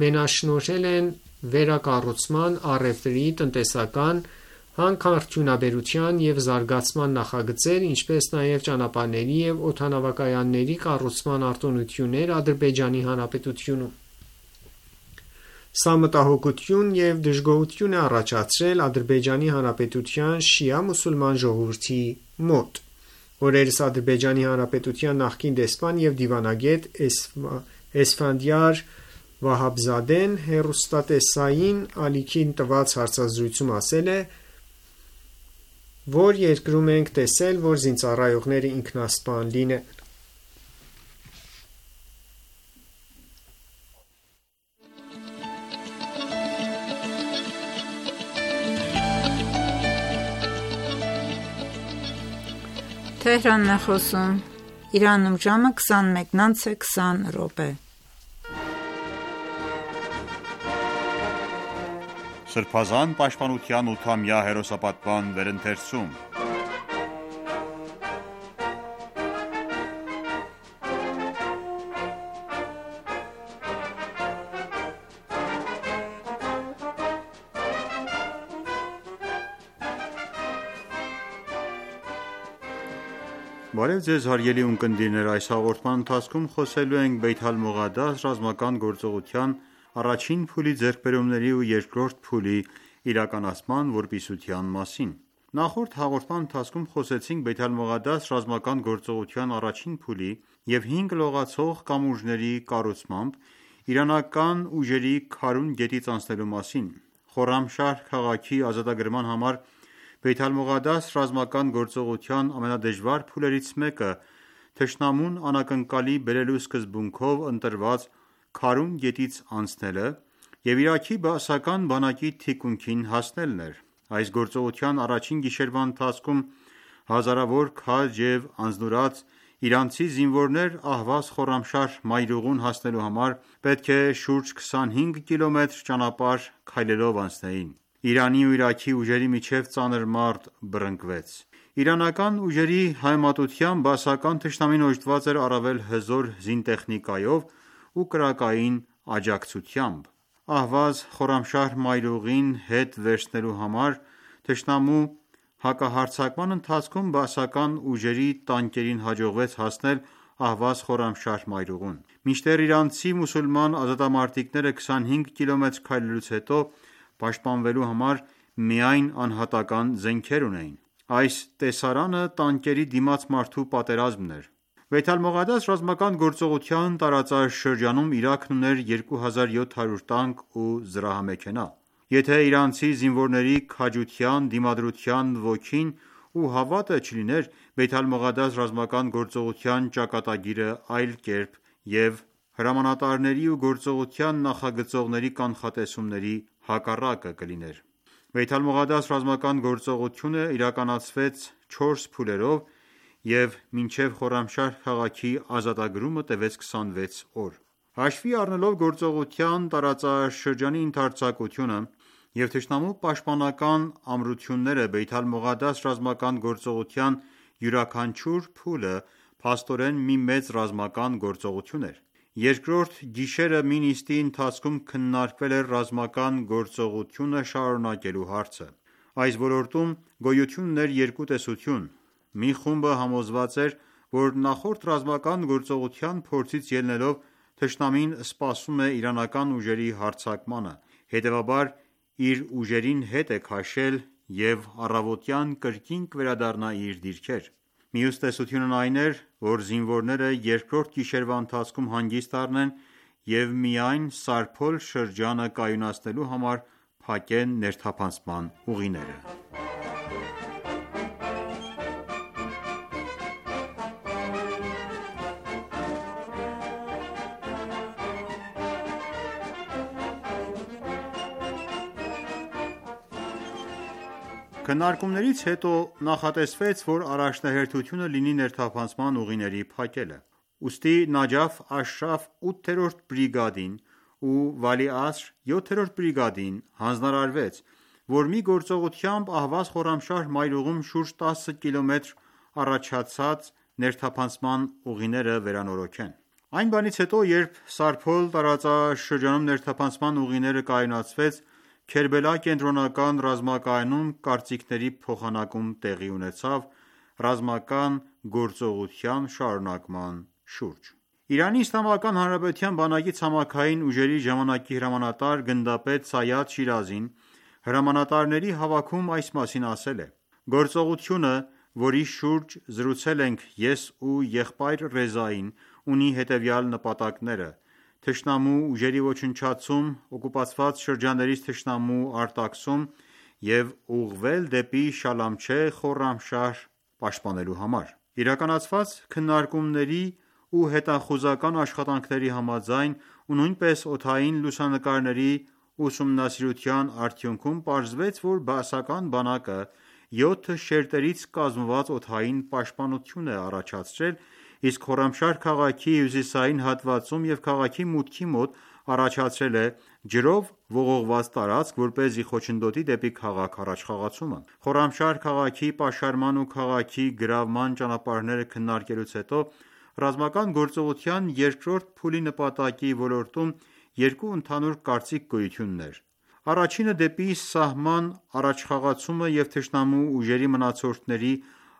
[SPEAKER 5] մենաշնորհել են վերակառուցման, առևտրի, տնտեսական, հանքարդյունաբերության և զարգացման նախագծեր, ինչպես նաև ճանապարհների և օդանավակայանների կառուցման արտոնություններ Ադրբեջանի Հանրապետությունում։ Սա մտահոգություն և դժգոհություն է առաջացրել Ադրբեջանի Հանրապետության շիա մուսուլման ժողովրդի մոտ։ Օրերս Ադրբեջանի Հանրապետության նախկին դեսպան և դիվանագետ Էսֆանդիար Վահաբզադեն հեռուստատեսային ալիքին տված հարցազրույցում ասել է, որ երկրում ենք տեսել, որ զինծառայողները ինքնասպան լինեն։
[SPEAKER 2] Թեհրանն է խոսում։ Իրանում ժամը քսանմեկն անց է քսան րոպե։
[SPEAKER 1] Սրբազան պաշտպանության ութամյա հերոսապատման վերընթերցում։ Բարև ձեզ հարգելի ունկնդիրներ, այս հաղորդման ընթացքում խոսելու ենք Բեյթ Ալ-Մողադաս ռազմական գործողության առաջին փուլի ձեռքբերումների ու երկրորդ փուլի իրականացման որպիսության մասին։ Նախորդ հաղորդման ընթացքում խոսեցինք Բեյթ Ալ-Մողադաս ռազմական գործողության առաջին փուլի և հինգ լողացող կամուրջների կառուցմամբ իրանական ուժերի Քարուն գետից անցնելու մասին։ Խորրամշահր քաղաքի ազատագրման համար Բեյթ Ալ-Մողադաս ռազմական գործողության ամենադժվար փուլերից մեկը թշնամուն անակնկալի բերելու սկզբունքով ընտրված Քարուն գետից անցնելը և Իրաքի բաասական բանակի թիկունքին հասնելն էր։ Այս գործողության առաջին գիշերվա ընթացքում հազարավոր քաջ և անձնուրաց իրանցի զինվորներ Ահվազ Խորրամշահր մայրուղուն հասնելու համար պետք է շուրջ քսանհինգ կիլոմետր ճանապարհ քայլելով անցնեին։ Իրանի ու Իրաքի ուժերի միջև ծանր մարտ բռնկվեց։ Իրանական ուժերի համեմատությամբ բաասական թշնամին օժտված էր առավել հզոր զինտեխնիկայով ու կրակային աջակցությամբ։ Ահվազ Խորրամշահր մայրուղին հետ վերցնելու համար թշնամու հակահարձակման ընթացքում բաասական ուժերի տանկերին հաջողվեց հասնել Ահվազ Խորրամշահր մայրուղուն։ Մինչդեռ իրանցի մուսուլման ազատամարտիկները քսանհինգ կիլոմետր քայլելուց հետո պաշտպանվելու համար միայն անհատական զենքեր ունեին։ Այս տեսարանը տանկերի դիմաց մարդու պատերազմն էր։ Բեյթ Ալ-Մողադաս ռազմական գործողության տարածաշրջանում Իրաքն ուներ երկու հազար յոթ հարյուր տանկ ու զրահամեքենա։ Եթե իրանցի զինվորների քաջության, դիմադրության ոգին ու հավատը չլիներ, Բեյթ Ալ-Մողադաս ռազմական գործողության ճակատագիրը այլ կերպ և հրամանատարների ու գործողության նախագծողների կանխատեսումների հակառակը կլիներ։ Բեյթ Ալ-Մողադաս ռազմական գործողությունը իրականացվեց չորս փուլերով և մինչև Խորամշահր քաղաքի ազատագրումը տևեց քսանվեց օր։ Հաշվի առնելով գործողության տարածաշրջանի ընդարձակությունը և թշնամու պաշտպանական ամրությունները, Բեյթ Ալ-Մողադաս ռազմական գործողության յուրաքանչյուր փուլը փաստորեն մի մեծ ռազմական գործողություն էր։ Երկրորդ գիշերը մի նիստի ընթացքում քննարկվել էր ռազմական գործողությունը շարունակելու հարցը։ Այս ոլորտում գոյություն ուներ երկու տեսություն։ Մի խումբը համոզված էր, որ նախորդ ռազմական գործողության փորձից ելնելով թշնամին սպասում է իրանական ուժերի հարձակմանը, հետևաբար իր ուժերին հետ է քաշել և առավոտյան կրկին կվերադառնա իր դիրքեր։ Մյուս տեսությունն այն էր, որ զինվորները երկրորդ գիշերվա ընթացքում հանգիստ առնեն և միայն Սարփոլ շրջանը կայունացնելու համար փակեն ներթափանցման ուղիները։ Քննարկումներից հետո նախատեսվեց, որ առաջնահերթությունը լինի ներթափանցման ուղիների փակելը։ Ուստի Նաջաֆ Աշրաֆ ութերորդ բրիգադին ու Վալի Ասր յոթերորդ բրիգադին հանձնարարվեց, որ մի գործողությամբ Ահվազ Խորամշահր մայրուղում շուրջ տասը կիլոմետր առաջացած ներթափանցման ուղիները վերանորոգեն։ Այն բանից հետո, երբ Սարփոլ տարածաշրջանում ներթափանցման ուղիները կայունացվեց, Քերբելա կենտրոնական ռազմակայանում կարծիքների փոխանակում տեղի ունեցավ ռազմական գործողության շարունակման շուրջ։ Իրանի Իսլամական Հանրապետության բանակի ցամաքային ուժերի ժամանակի հրամանատար գնդապետ Սայադ Շիրազին հրամանատարների հավաքում այս մասին ասել է. «Գործողությունը, որի շուրջ զրուցել ենք ես ու եղբայր Ռեզային, ունի հետևյալ նպատակները՝ թշնամու ուժերի ոչնչացում, օկուպացված շրջաններից թշնամու արտաքսում և ուղղվել դեպի Շալամչեհ Խորրամշահր պաշտպանելու համար»։ Իրականացված քննարկումների ու հետախուզական աշխատանքների համաձայն ու նույնպես օդային լուսանկարների ուսումնասիրության արդյունքում պարզվեց, որ բաասական բանակը յոթ շերտերից կազմված օդային պաշտպանություն է առաջացրել, իսկ Խորամշահր քաղաքի հյուսիսային հատվածում և քաղաքի մուտքի մոտ առաջացրել է ջրով ողողված տարածք, որպեսզի խոչընդոտի դեպի քաղաք առաջխաղացումը։ Խորամշահր քաղաքի պաշարման ու քաղաքի գրավման ճանապարհները քննարկելուց հետո ռազմական գործողության երկրորդ փուլի նպատակի ոլորտում երկու ընդհանուր կարծիք գոյություն ուներ։ Առաջինը դեպի սահման առաջխաղացումը և թշնամու ուժերի մնացորդների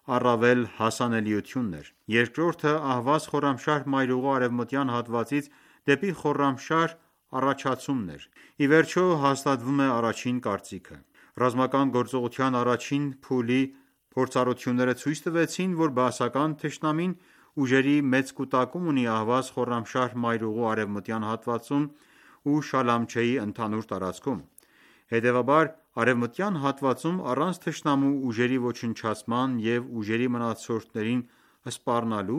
[SPEAKER 1] առավել հասանելիությունն էր։ Երկրորդը Ահվազ Խորամշահր մայրուղու արևմտյան հատվածից դեպի Խորրամշահր առաջացումն էր։ Ի վերջո հաստատվում է առաջին կարծիքը։ Ռազմական գործողության առաջին փուլի փորձառությունները ցույց տվեցին, որ բաասական թշնամին ուժերի մեծ կուտակում ունի Ահվազ Խորրամշահր մայրուղու արևմտյան հատվածում ու Շալամչեի ընդհանուր տարածքում։ Հետևաբար արևմտյան հատվածում առանց թշնամու ուժերի ոչնչացման և ուժերի մնացորդներին սպառնալու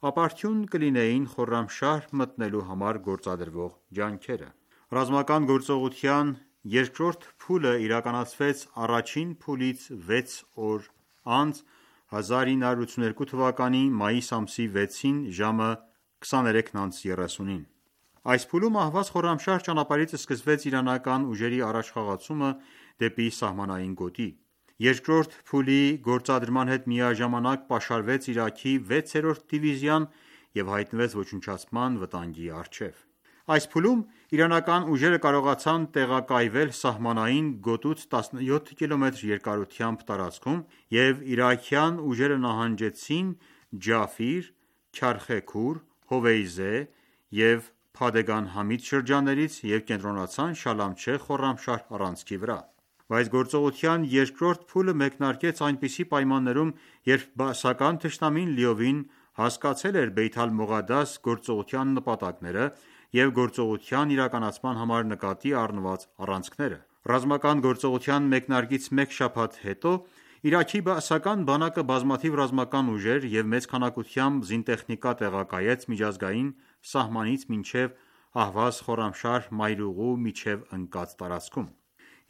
[SPEAKER 1] ապարդյուն կլինեին Խորրամշահր մտնելու համար գործադրվող ջանքերը։ Ռազմական գործողության երկրորդ փուլը իրականացվեց առաջին փուլից վեց օր անց հազար ինը հարյուր ութսուներկու թվականի մայիս ամսի վեցին ժամը քսաներեքն անց երեսունին։ Այս փուլում Ահվազ Խորրամշահր ճանապարհից սկսվեց իրանական ուժերի առաջխաղացումը դեպի սահմանային գոտի։ Երկրորդ փուլի գործադրման հետ միաժամանակ պաշարվեց Իրաքի վեցերորդ դիվիզիան և հայտնվեց ոչնչացման վտանգի առջև։ Այս փուլում իրանական ուժերը կարողացան տեղակայվել սահմանային գոտուց տասնյոթ կիլոմետր երկարությամբ տարածքում և իրաքյան ուժերը նահանջեցին Ջաֆիր, Քարխեքուր, Հովեյզե և Փադեգան Համիդ շրջաններից և կենտրոնացան Շալամչե Խորրամշահր առանցքի վրա: Բայց գործողության երկրորդ փուլը մեկնարկեց այնպիսի պայմաններում, երբ բաասական թշնամին լիովին հասկացել էր Բեյթ ալ-Մողադաս գործողության նպատակները և գործողության իրականացման համար նկատի առնված առանցքները: Ռազմական գործողության մեկնարկից մեկ շաբաթ հետո Իրաքի բաասական բանակը բազմաթիվ ռազմական ուժեր և մեծ քանակությամբ զինտեխնիկա տեղակայեց միջազգային սահմանից մինչև Ահվազ Խորամշահր մայրուղու միջև ընկած տարածքում: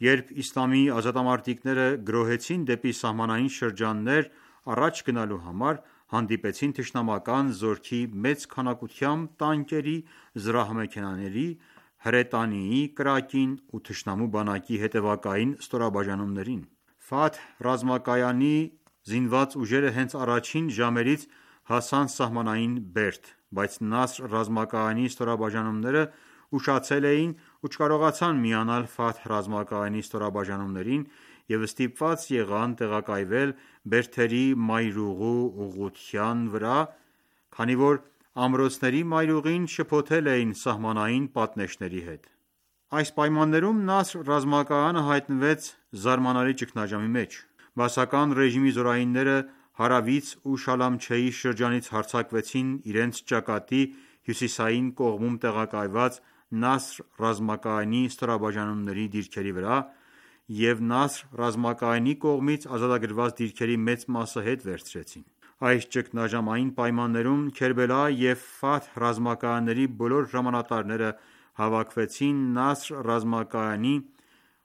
[SPEAKER 1] Երբ իսլամի ազատամարտիկները գրոհեցին դեպի սահմանային շրջաններ առաջ գնալու համար, հանդիպեցին թշնամական զորքի մեծ քանակությամբ տանկերի, զրահամեքենաների, հրետանիի կրակին ու թշնամու բանակի հետևակային ստորաբաժանումներին: Ֆաթհ ռազմակայանի զինված ուժերը հենց առաջին ժամերից հասան սահմանային Բերդ, բայց Նասր ռազմակայանի ստորաբաժանումները ուշացել էին ու չկարողացան միանալ Ֆաթհ ռազմակայանի ստորաբաժանումներին և ստիպված եղան տեղակայվել Բերդերի մայրուղու ուղղության վրա, քանի որ ամրոցների մայրուղին շփոթել էին սահմանային պատնեշների հետ: Այս պայմաններում Նասր ռազմակայանը հայտնվեց զարմանալի ճգնաժամի մեջ: Բաասական ռեժիմի զորայինները հարավից ու Շալամչեի շրջանից հարձակվեցին իրենց ճակատի հյուսիսային կողմում տեղակայված Նասր ռազմակայանի ստորաբաժանումների դիրքերի վրա և Նասր ռազմակայանի կողմից ազատագրված դիրքերի մեծ մասը հետ վերցրեցին: Այս ճգնաժամային պայմաններում Քերբելա և Ֆաթհ ռազմակայանների բոլոր հրամանատարները հավաքվեցին Նասր ռազմակայանի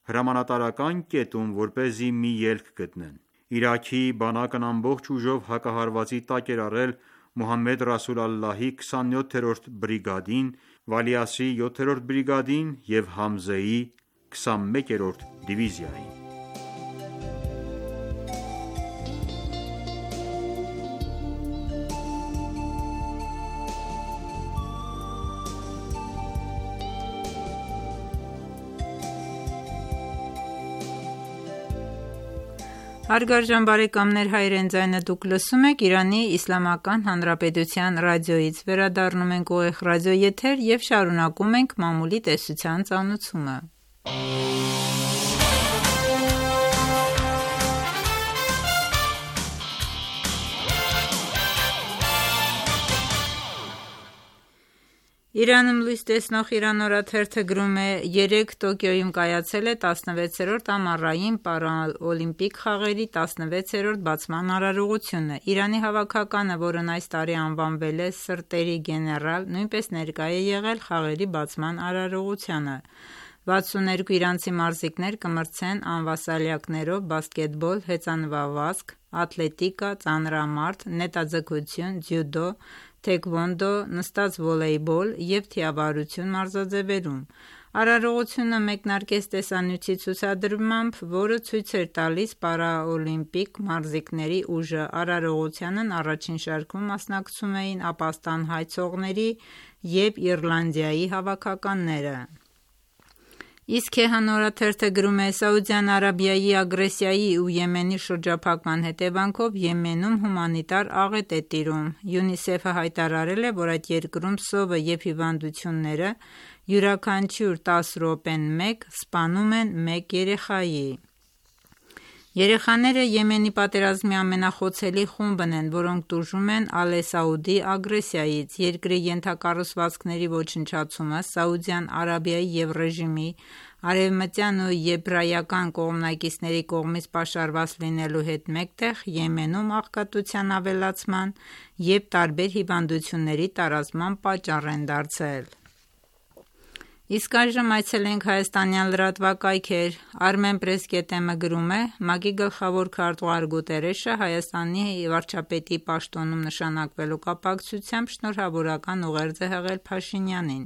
[SPEAKER 1] հրամանատարական կետում, որպեսզի մի ելք գտնեն: Իրաքի բանակն ամբողջ ուժով հակահարվածի տակ էր առել Մոհամմեդ Ռասուլ Ալլահի քսանյոթերորդ բրիգադին, Վալի Ասրի յոթերորդ բրիգադին և Համզեի քսանմեկերորդ դիվիզիային:
[SPEAKER 2] Հարգարժան բարեկամներ, հայրեն ձայնը դուք լսում եք Իրանի Իսլամական Հանրապետության ռադիոյից: Վերադառնում ենք ուղիղ ռադիոեթեր և շարունակում ենք մամուլի տեսության ծանոթումը: Իրանում լույս տեսնող Իրան օրաթերթը գրում է. «Երեկ Տոկիոյում կայացել է տասնվեցերորդ ամառային պարաօլիմպիկ խաղերի տասնվեցերորդ բացման արարողությունը: Իրանի հավաքականը, որն այս տարի անվանվել է «Սրտերի գեներալ», նույնպես ներկա է եղել խաղերի բացման արարողությանը: վաթսունութ երկու իրանցի մարզիկներ կմրցեն անվասալյակներով բասկետբոլ, հեծանվավազք, աթլետիկա, ծանրամարդ, նետաձգություն, ձյուդո, թեքվոնդո, նստած վոլեյբոլ և թիավարություն մարզաձևերում: Արարողությունը մեկնարկեց տեսանյութի ցուցադրմամբ, որը ցույց էր տալիս պարաօլիմպիկ մարզիկների ուժը: Արարողությանն առաջին շարքում մասնակցում էին Ապաստան հայցողների և Իռլանդիայի հավաքականները: Իսկ Քեհան օրաթերթը գրում է. «Սաուդյան Արաբիայի ագրեսիայի ու Եմենի շրջափակման հետևանքով Եմենում հումանիտար աղետ է տիրում: ՅՈՒՆԻՍԵՖ-ը հայտարարել է, որ այդ երկրում սովը և հիվանդությունները յուրաքանչյուր տասը րոպեն մեկ սպանում են մեկ երեխայի: Երեխաները Եմենի պատերազմի ամենախոցելի խումբն են, որոնք տուժում են Ալե-Սաուդի ագրեսիայից: Երկրի ենթակառուցվածքների ոչնչացումը Սաուդյան Արաբիայի և ռեժիմի արևմտյան ու եբրայական կողմնակիցների կողմից պաշարված լինելու հետ մեկտեղ Եմենում աղքատության ավելացման և տարբեր հիվանդությունների տարածման պատճառ են դարձել: Իսկ այժմ այցելենք հայաստանյան լրատվակայքեր: Armenpress.am-ը գրում է. «ՄԱԿ-ի գլխավոր քարտուղար Գուտերեշը Հայաստանի վարչապետի պաշտոնում նշանակվելու կապակցությամբ շնորհավորական ուղերձ է հղել Փաշինյանին: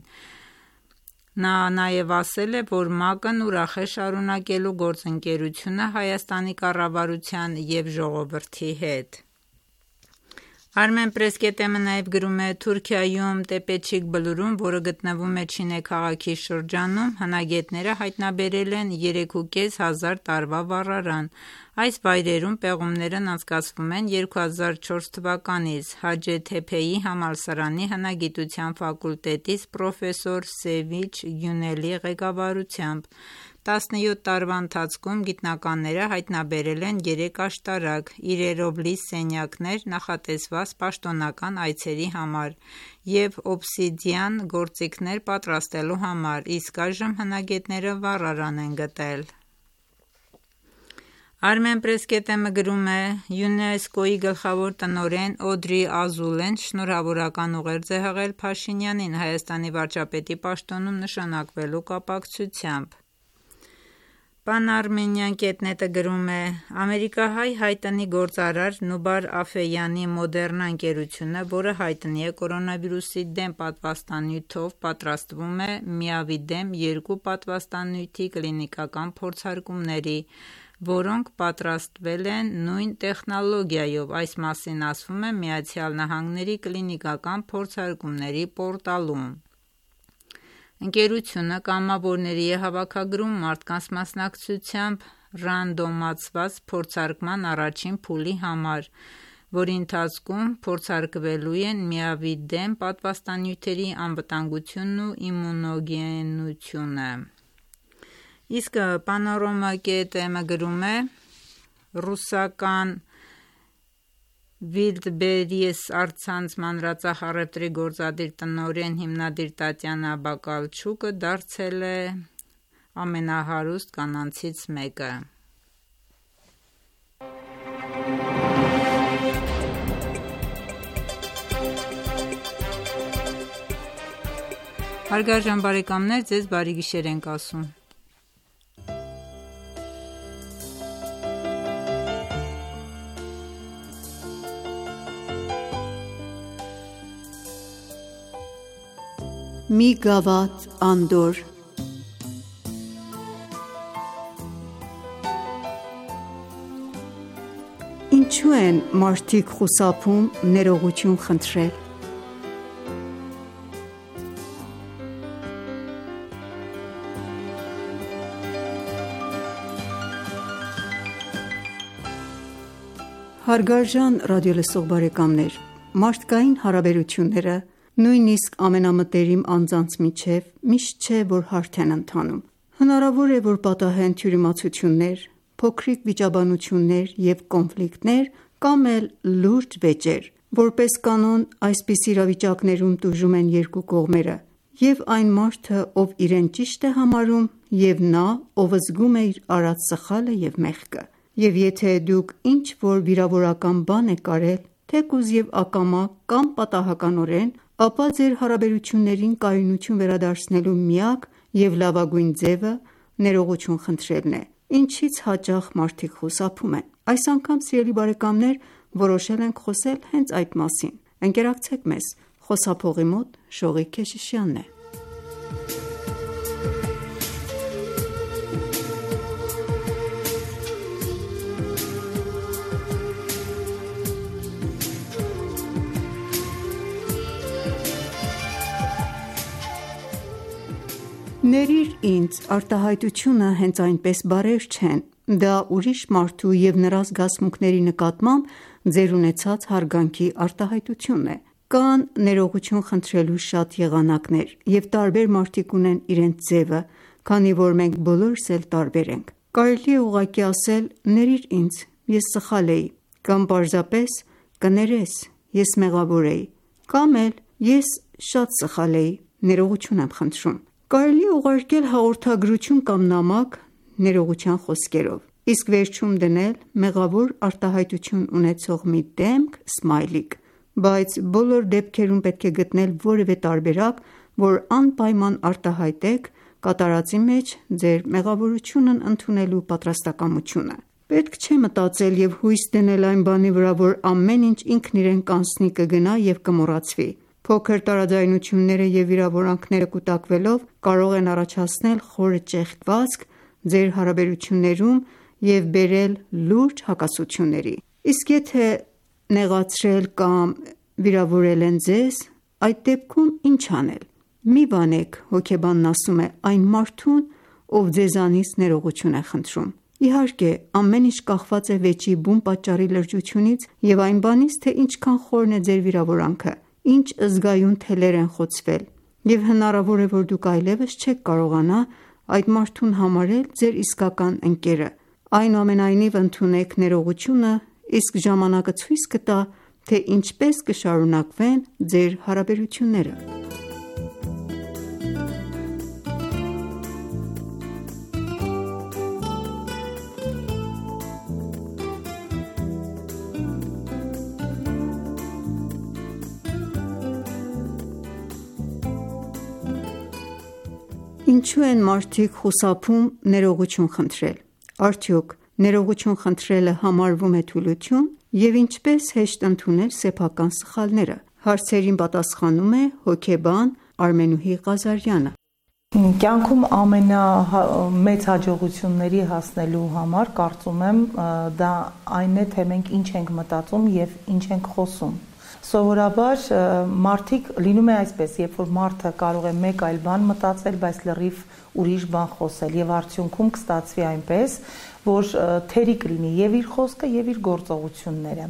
[SPEAKER 2] Նա նաև ասել է, որ ՄԱԿ-ն ուրախ է շարունակելու գործընկերությունը Հայաստանի կառավարության և ժողովրդի հետ»: Armenpress կետ էմ-ը նաև գրում է Թուրքիայում Տեպեչիկ բլուրում, որը գտնվում է Չինե քաղաքի շրջանում, հնագետները հայտնաբերել են երեք ու կես հազար տարվա վառարան։ Այս վայրերում պեղումներն անցկացվում են երկու հազար չորս թվականից Հաջեթեփեի համալսարանի հնագիտության ֆակուլտետից պրոֆեսոր Սևիչ Գյունելի ղեկավարությամբ։ տասնյոթ տարվա ընթացքում գիտնականները հայտնաբերել են երեք աշտարակ, իրերովլիս սենյակներ նախատեսված պաշտոնական այցերի համար և օբսիդիան գործիքներ պատրաստելու համար, իսկ այժմ հնագետները վառարան են գտել։ Armenpress կետ էմ-ը գրում է ՅՈՒՆԵՍԿՕ-ի գլխավոր տնօրեն Օդրի Ազուլեն շնորհավորական ուղերձ է հղել Փաշինյանին Հայաստանի վարչապետի պաշտոնում նշանակվելու կապակցությամբ։ Pan-Armenian կետ նետ-ը գրում է ամերիկահայ հայտնի գործարար Նուբար Աֆեյանի Մոդեռնա ընկերությունը, որը հայտնի է կորոնավիրուսի դեմ պատվաստանյութով, պատրաստվում է միավի դեմ երկու պատվաստանյութի կլինիկական փորձարկումների, որոնք պատրաստվել են նույն տեխնոլոգիայով, այս մասին ասվում է Միացյալ Նահանգների կլինիկական փորձարկումների պորտալում։ Ընկերությունը կամավորների է հավաքագրում մարդկանց մասնակցությամբ ռանդոմացված փորձարկման առաջին փուլի համար, որի ընթացքում փորձարկվելու են միավի դեմ պատվաստանյութերի անվտանգությունն ու իմունոգենությունը։ Իսկ Panorama կետ էմ-ը գրում է ռուսական Wildberries առցանց մանրածախ առևտրի գործադիր տնօրեն հիմնադիր Տատյանա Բակալչուկը դարձել է ամենահարուստ կանանցից մեկը։ Հարգարժան բարեկամներ, ձեզ բարի գիշեր ենք ասում։
[SPEAKER 8] Մի գավաթ անդոր։ Ինչու են մարդիկ խուսափում ներողություն խնդրել։ Հարգարժան ռադիոլսող բարեկամներ, մարդկային հարաբերությունները նույնիսկ ամենամտերիմ անձանց միջև միշտ չէ, որ հարթ են ընթանում։ Հնարավոր է, որ պատահեն թյուրիմացություններ, փոքրիկ վիճաբանություններ և կոնֆլիկտներ կամ էլ լուրջ վեճեր։ Որպես կանոն, այսպիսի իրավիճակներում տուժում են երկու կողմերը, և այն մարդը, ով իրեն ճիշտ է համարում, և նա, ով զգում է իր արած սխալը և մեղքը։ Եվ եթե դուք ինչ-որ վիրավորական բան եք արել, թեկուզ և ակամա կամ պատահականորեն, ապա ձեր հարաբերություններին կայունություն վերադարձնելու միակ և լավագույն ձևը ներողություն խնդրելն է, ինչից հաճախ մարդիկ խուսափում են։ Այս անգամ, սիրելի բարեկամներ, որոշել ենք խոսել հենց այդ մասին։ Ընկերակցեք մեզ, խոսափողի մոտ Շողիկ Քեշիշյանն է։ Ներիր ինձ արտահայտությունը հենց այնպես բառեր չեն, դա ուրիշ մարդու և նրա զգացմունքների նկատմամբ ձեր ունեցած հարգանքի արտահայտությունն է։ Կան ներողություն խնդրելու շատ եղանակներ, և տարբեր մարդիկ ունեն իրենց ձևը, քանի որ մենք բոլորս էլ տարբեր ենք։ Կարելի է ուղղակի ասել «Ներիր ինձ, ես սխալ էի», կամ պարզապես «Կներես, ես մեղավոր էի», կամ էլ «Ես շատ սխալ էի, ներողություն եմ խնդրում»։ Կարելի է ուղարկել հաղորդագրություն կամ նամակ ներողության խոսքերով, իսկ վերջում դնել մեղավոր արտահայտություն ունեցող մի դեմք սմայլիկ, բայց բոլոր դեպքերում պետք է գտնել որևէ տարբերակ, որ անպայման արտահայտեք կատարածի մեջ ձեր մեղավորությունն ընդունելու պատրաստակամությունը։ Պետք չէ մտածել և հույս դնել այն բանի վրա, որ ամեն ինչ ինքն իրեն կանցնի, կգնա և կմոռացվի։ Փոքր տարաձայնությունները և վիրավորանքները կուտակվելով կարող են առաջացնել խորը ճեղքվածք ձեր հարաբերություններում և բերել լուրջ հակասությունների։ Իսկ եթե նեղացրել կամ վիրավորել են ձեզ, այդ դեպքում ինչ անել։ Մի բանեք, հոգեբանն ասում է, այն մարդուն, ով ձեզանից ներողություն է խնդրում։ Իհարկե, ամեն ինչ կախված է վեճի բուն պատճառի լրջությունից և այն բանից, թե ինչքան խորն է ձեր վիրավորանքը, ինչ զգայուն թելեր են խոցվել, և հնարավոր է, որ դուք այլևս չեք կարողանա այդ մարդուն համարել ձեր իսկական ընկերը։ Այնուամենայնիվ, ընդունեք ներողությունը, իսկ ժամանակը ցույց կտա, թե ինչպես կշարունակվեն ձեր հարաբերությունները։ Ինչու են մարդիկ խուսափում ներողություն խնդրել։ Արդյոք ներողություն խնդրելը համարվում է թուլություն, և ինչպես հեշտ ընդունել սեփական սխալները։ Հարցերին պատասխանում է հոգեբան Արմենուհի Ղազարյանը։
[SPEAKER 9] Կյանքում ամենամեծ հաջողությունների հասնելու համար կարծում եմ դա այն է, թե մենք ինչ ենք մտածում և ինչ ենք խոսում։ Սովորաբար մարդիկ լինում է այսպես, երբ որ մարդը կարող է մեկ այլ բան մտածել, բայց լրիվ ուրիշ բան խոսել, եւ արդյունքում կստացվի այնպես, որ թերի կլինի եւ իր խոսքը եւ իր գործողությունները։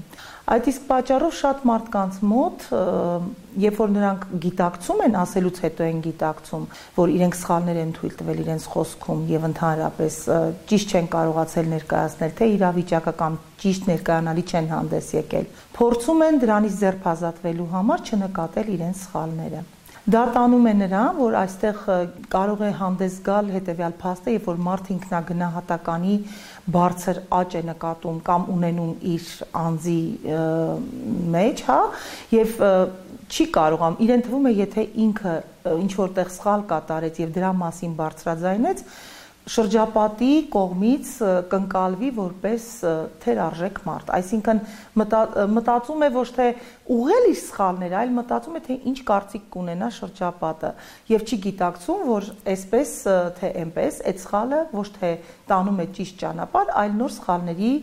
[SPEAKER 9] Այդ իսկ պատճառով շատ մարդկանց մոտ, երբ որ նրանք գիտակցում են, ասելուց հետո են գիտակցում, որ իրենք սխալներ են թույլ տվել իրենց խոսքում եւ ընդհանրապես ճիշտ չեն կարողացել ներկայացնել, թե իրավիճակը կամ ճիշտ ներկայանալի չեն հանդես եկել, փորձում են դրանից ձերբազատվելու համար չնկատել իրենց սխալները։ Դա տանում է նրան, որ այստեղ կարող է հանդես գալ հետևյալ փաստը, երբ որ մարդ ինքնագնահատականի բարձր աճ է նկատում կամ ունենում իր անձի մեջ, հա, եւ չի կարողam, իրեն թվում է, եթե ինքը ինչ որտեղ սխալ կատարեց եւ դրա մասին բարձրաձայնեց, շրջապատի կողմից կընկալվի որպես թերարժեք մարդ, այսինքն մտածում է ոչ թե ուղղել իր սխալները, այլ մտածում է, թե ինչ կարծիք կունենա շրջապատը եւ չի գիտակցում, որ այսպես թե այնպես այդ սխալը ոչ թե տանում է ճիշտ ճանապարհ, այլ նոր սխալների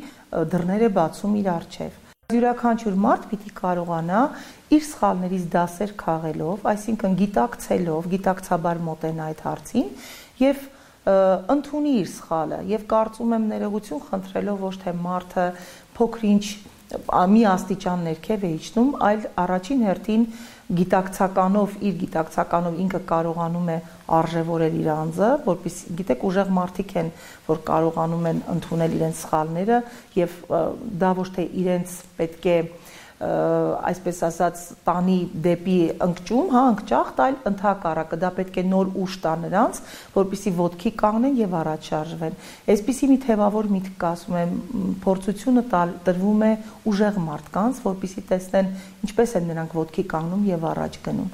[SPEAKER 9] դռներ է բացում իր առջև։ Յուրաքանչյուր մարդ պիտի կարողանա իր սխալներից դասեր քաղելով, այսինքն գիտակցելով, գիտակցաբար մոտենա այդ հարցին եւ ընդունի իր սխալը եւ կարծում եմ ներողություն խնդրելով ոչ թե մարդը փոքրինչ մի աստիճան ներքև է իջնում, այլ առաջին հերթին գիտակցականով, իր գիտակցականով ինքը կարողանում է արժևորել իր անձը, որպեսզի գիտեք ուժեղ մարդիկ են, որ կարողանում են ընդունել իրենց սխալները եւ դա ոչ թե իրենց պետք է այսպես ասած տանի դեպի ընկճում, հա, ընկճախտ, այլ ընդհակառակը դա պետք է նոր ուժ տա նրանց, որպեսզի ոտքի կանգնեն եւ առաջ շարժվեն։ Այսպիսի մի թեւավոր միտք կա, ասում եմ, փորձությունը տրվում է ուժեղ մարդկանց, որպեսզի տեսնեն ինչպես են նրանք ոտքի կանգնում եւ առաջ գնում։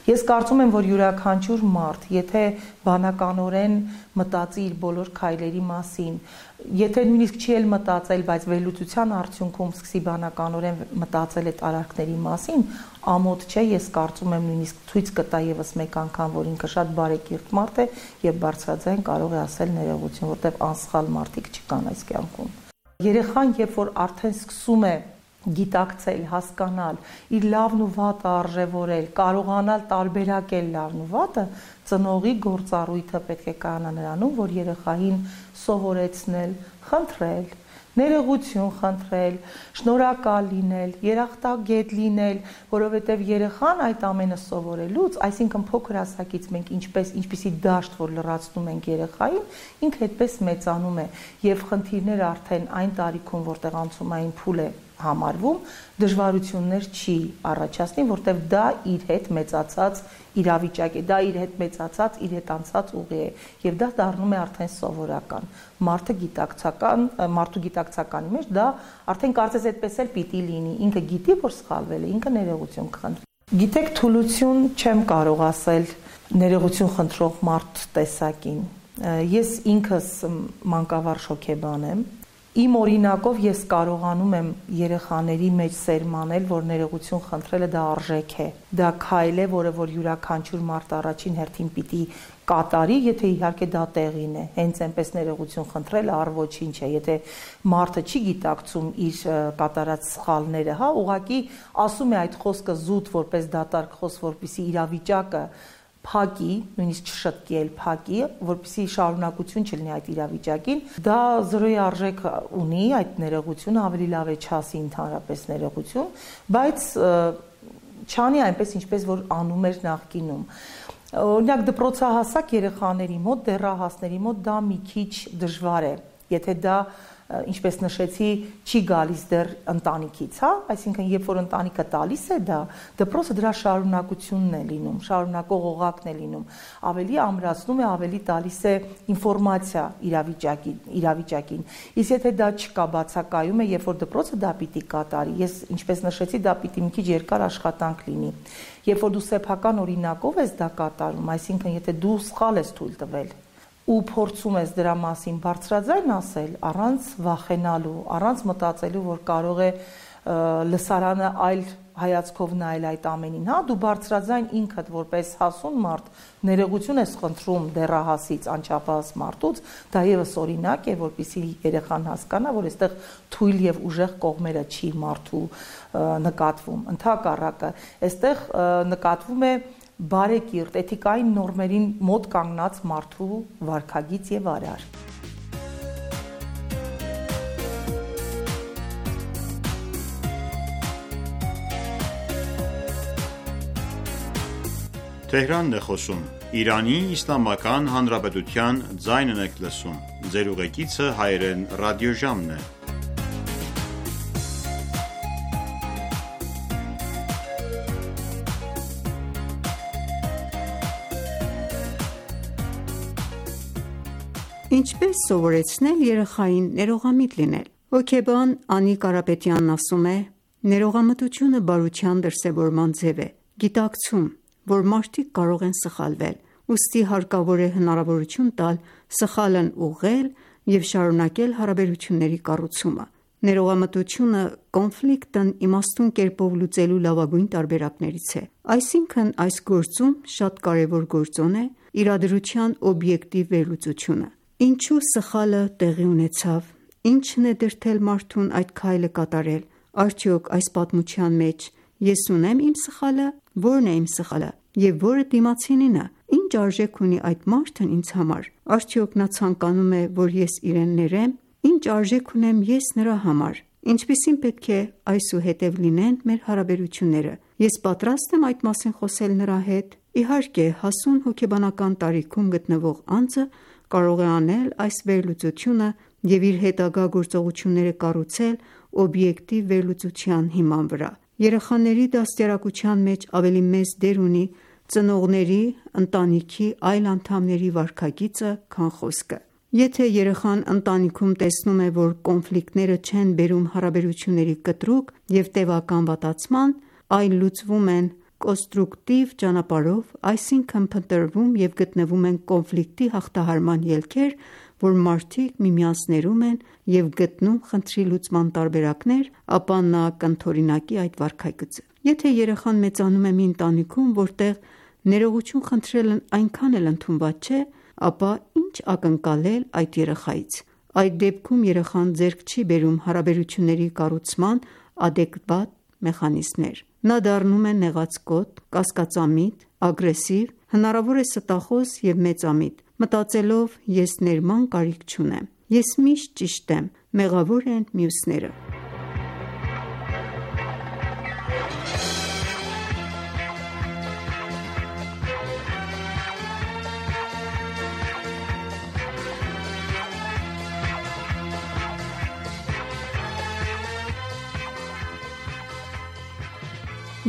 [SPEAKER 9] Ես կարծում եմ, որ յուրաքանչյուր մարդ, եթե բանականորեն մտածի իր բոլոր քայլերի մասին, եթե նույնիսկ չի էլ մտածել, բայց վերլուծության արդյունքում սկսի բանականորեն մտածել այդ արարքների մասին, ամոթ չէ, ես կարծում եմ նույնիսկ ցույց կտա եւս մեկ անգամ, որ ինքը շատ բարեկիրթ մարդ է եւ բարձրաձայն կարող է ասել ներողություն, որտեղ անսխալ մարդիկ չկան այս կյանքում։ Երեխան, երբ որ արդեն սկսում է գիտակցել, հասկանալ, իր լավն ու վատը արժևորել, կարողանալ տարբերակել լավն ու վատը, ծնողի գործառույթը պետք է կանա նրանում, որ երեխային սովորեցնել, խնդրել, ներողություն խնդրել, շնորհակալ լինել, երախտագետ լինել, որովհետև երեխան այդ ամենը սովորելուց, այսինքն փոքր հասակից մենք ինչպես ինչպիսի դաշտ, որ լրացնում ենք երեխային, ինքը այդպես մեծանում է եւ խնդիրները արդեն այն տարիքում, որտեղ անցումային փուլ է համարվում, դժվարություններ չի առաջացնի, որտեղ դա իր հետ մեծացած իրավիճակ է, դա իր հետ մեծացած, իր հետ անցած ուղի է եւ դա դառնում է արդեն սովորական։ Մարդը գիտակցական, մարդու գիտակցականի մեջ դա արդեն կարծես այդպես էլ պիտի լինի, ինքը գիտի, որ սխալվել է, ինքը ներողություն կխնդրի։ Գիտեք, թուլություն չեմ կարող ասել ներողություն խնդրող մարդ տեսակին։ Ես ինքս մանկավարժ հոգեբան եմ Իմ օրինակով ես կարողանում եմ երեխաների մեջ սերմանել, որ ներողություն խնդրելը դա արժեք է, դա քայլ է, որը որ յուրաքանչյուր մարդ առաջին հերթին պիտի կատարի, եթե իհարկե դա տեղին է, հենց այնպես ներողություն խնդրելը առ ոչինչ է, եթե մարդը չի գիտակցում իր կատարած սխալները, հա, ուղղակի ասում է այդ խոսքը զուտ որպես դատարկ խոսք, որպեսզի իրավիճակը փակի, նույնիսկ չշտկի էլ փակի, որպեսզի շարունակություն չլինի այդ իրավիճակին, դա զրոյի արժեք ունի այդ ներողությունը, ավելի լավ է չասի ընդհանրապես ներողություն, բայց չանի այնպես ինչպես որ անում էր նախկինում։ Օրինակ դպրոցահասակ երեխաների մոտ, դեռահասների մոտ դա մի քիչ դժվար է, եթե դա ինչպես նշեցի, չի գալիս դեռ ընտանիքից, հա, այսինքն երբ որ ընտանիքը տալիս է դա, դպրոցը դրա շարունակությունն է լինում, շարունակող օղակն է լինում, ավելի ամրացնում է, ավելի տալիս է ինֆորմացիա իրավիճակին, իրավիճակին։ Իսկ եթե դա չկա, բացակայում է, երբ որ դպրոցը դա պիտի կատարի, ես ինչպես նշեցի, դա պիտի մի քիչ երկար աշխատանք լինի։ Երբ որ դու սեփական օրինակով ես դա կատարում, այսինքն եթե դու սխալ ես թույլ տվել ու փորձում ես դրա մասին բարձրաձայն ասել, առանց վախենալու, առանց մտածելու, որ կարող է լսարանը այլ հայացքով նայել այդ ամենին, հա, դու բարձրաձայն ինքդ որպես հասուն մարդ ներողություն ես խնդրում դեռահասից, անչափահաս մարդուց, դա եւս օրինակ է, որպեսզի երեխան հասկանա, որ այստեղ թույլ եւ ուժեղ կողմերը չի մարդու նկատվում, ընդհակառակը, այստեղ նկատվում է բարեկիրթ, էթիկային նորմերին մոտ կանգնած մարդու վարքագիծ եւ արար։
[SPEAKER 1] Թեհրանն է խոսում, Իրանի Իսլամական Հանրապետության ձայնն եք լսում, ձեր ուղեկիցը հայերեն ռադիոժամն է։
[SPEAKER 8] Ինչպես սովորեցնել երեխային ներողամիտ լինել։ Հոգեբան Անի Կարապետյանն ասում է. ներողամտությունը բարության դրսևորման ձև է, գիտակցում, որ մարդիկ կարող են սխալվել, ուստի հարկավոր է հնարավորություն տալ սխալն ուղղել և շարունակել հարաբերությունների կառուցումը։ Ներողամտությունը կոնֆլիկտն իմաստուն կերպով լուծելու լավագույն տարբերակներից է։ Այսինքն այս գործում շատ կարևոր գործոն է իրադրության օբյեկտիվ վերլուծությունը։ Ինչու սխալը տեղի ունեցավ, ինչն է դրդել մարդուն այդ քայլը կատարել, արդյոք այս պատմության մեջ ես ունեմ իմ սխալը, որն է իմ սխալը և որը դիմացինինը, ինչ արժեք ունի այդ մարդն ինձ համար, արդյոք նա ցանկանում է, որ ես իրեն ներեմ, ինչ արժեք ունեմ ես նրա համար, ինչպիսին պետք է այսուհետև լինեն մեր հարաբերությունները, ես պատրաստ եմ այդ մասին խոսել նրա հետ։ Իհարկե, հասուն հոգեբանական տարիքում գտնվող անձը կարող է անել այս վերլուծությունը և իր հետագա գործողությունները կառուցել օբյեկտիվ վերլուծության հիման վրա։ Երեխաների դաստիարակության մեջ ավելի մեծ դեր ունի ծնողների, ընտանիքի այլ անդամների վարքագիծը, քան խոսքը։ Եթե երեխան ընտանիքում տեսնում է, որ կոնֆլիկտները չեն բերում հարաբերությունների կտրուկ և տևական վատացման, այլ լուծվում են կոնստրուկտիվ ճանապարհով, այսինքն փնտրվում և գտնվում են կոնֆլիկտի հաղթահարման ելքեր, որ մարդիկ միմյանց ներում են և գտնում խնդրի լուծման տարբերակներ, ապա նա կընդօրինակի այդ վարքագիծը։ Եթե երեխան մեծանում է մի ընտանիքում, որտեղ ներողություն խնդրելն այնքան էլ ընդունված չէ, ապա ինչ ակնկալել այդ երեխայից։ Այդ դեպքում երեխան ձեռք չի բերում հարաբերությունների կառուցման ադեկվատ մեխանիզմներ։ Նա դառնում է նեղացկոտ, կասկածամիտ, ագրեսիվ, հնարավոր է ստախոս և մեծամիտ, մտածելով ես ներման կարիք չունեմ, ես միշտ ճիշտ եմ, մեղավոր են մյուսները։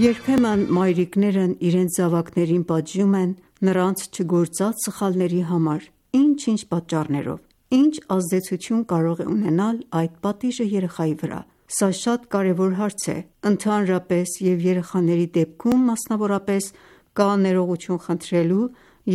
[SPEAKER 8] Երբեմն մայրիկներն իրենց զավակներին պատժում են նրանց չգործած սխալների համար, ինչ-ինչ պատճառներով, ինչ ազդեցություն կարող է ունենալ այդ պատիժը երեխայի վրա։ Սա շատ կարևոր հարց է, ընդհանրապես և երեխաների դեպքում մասնավորապես կա ներողություն խնդրելու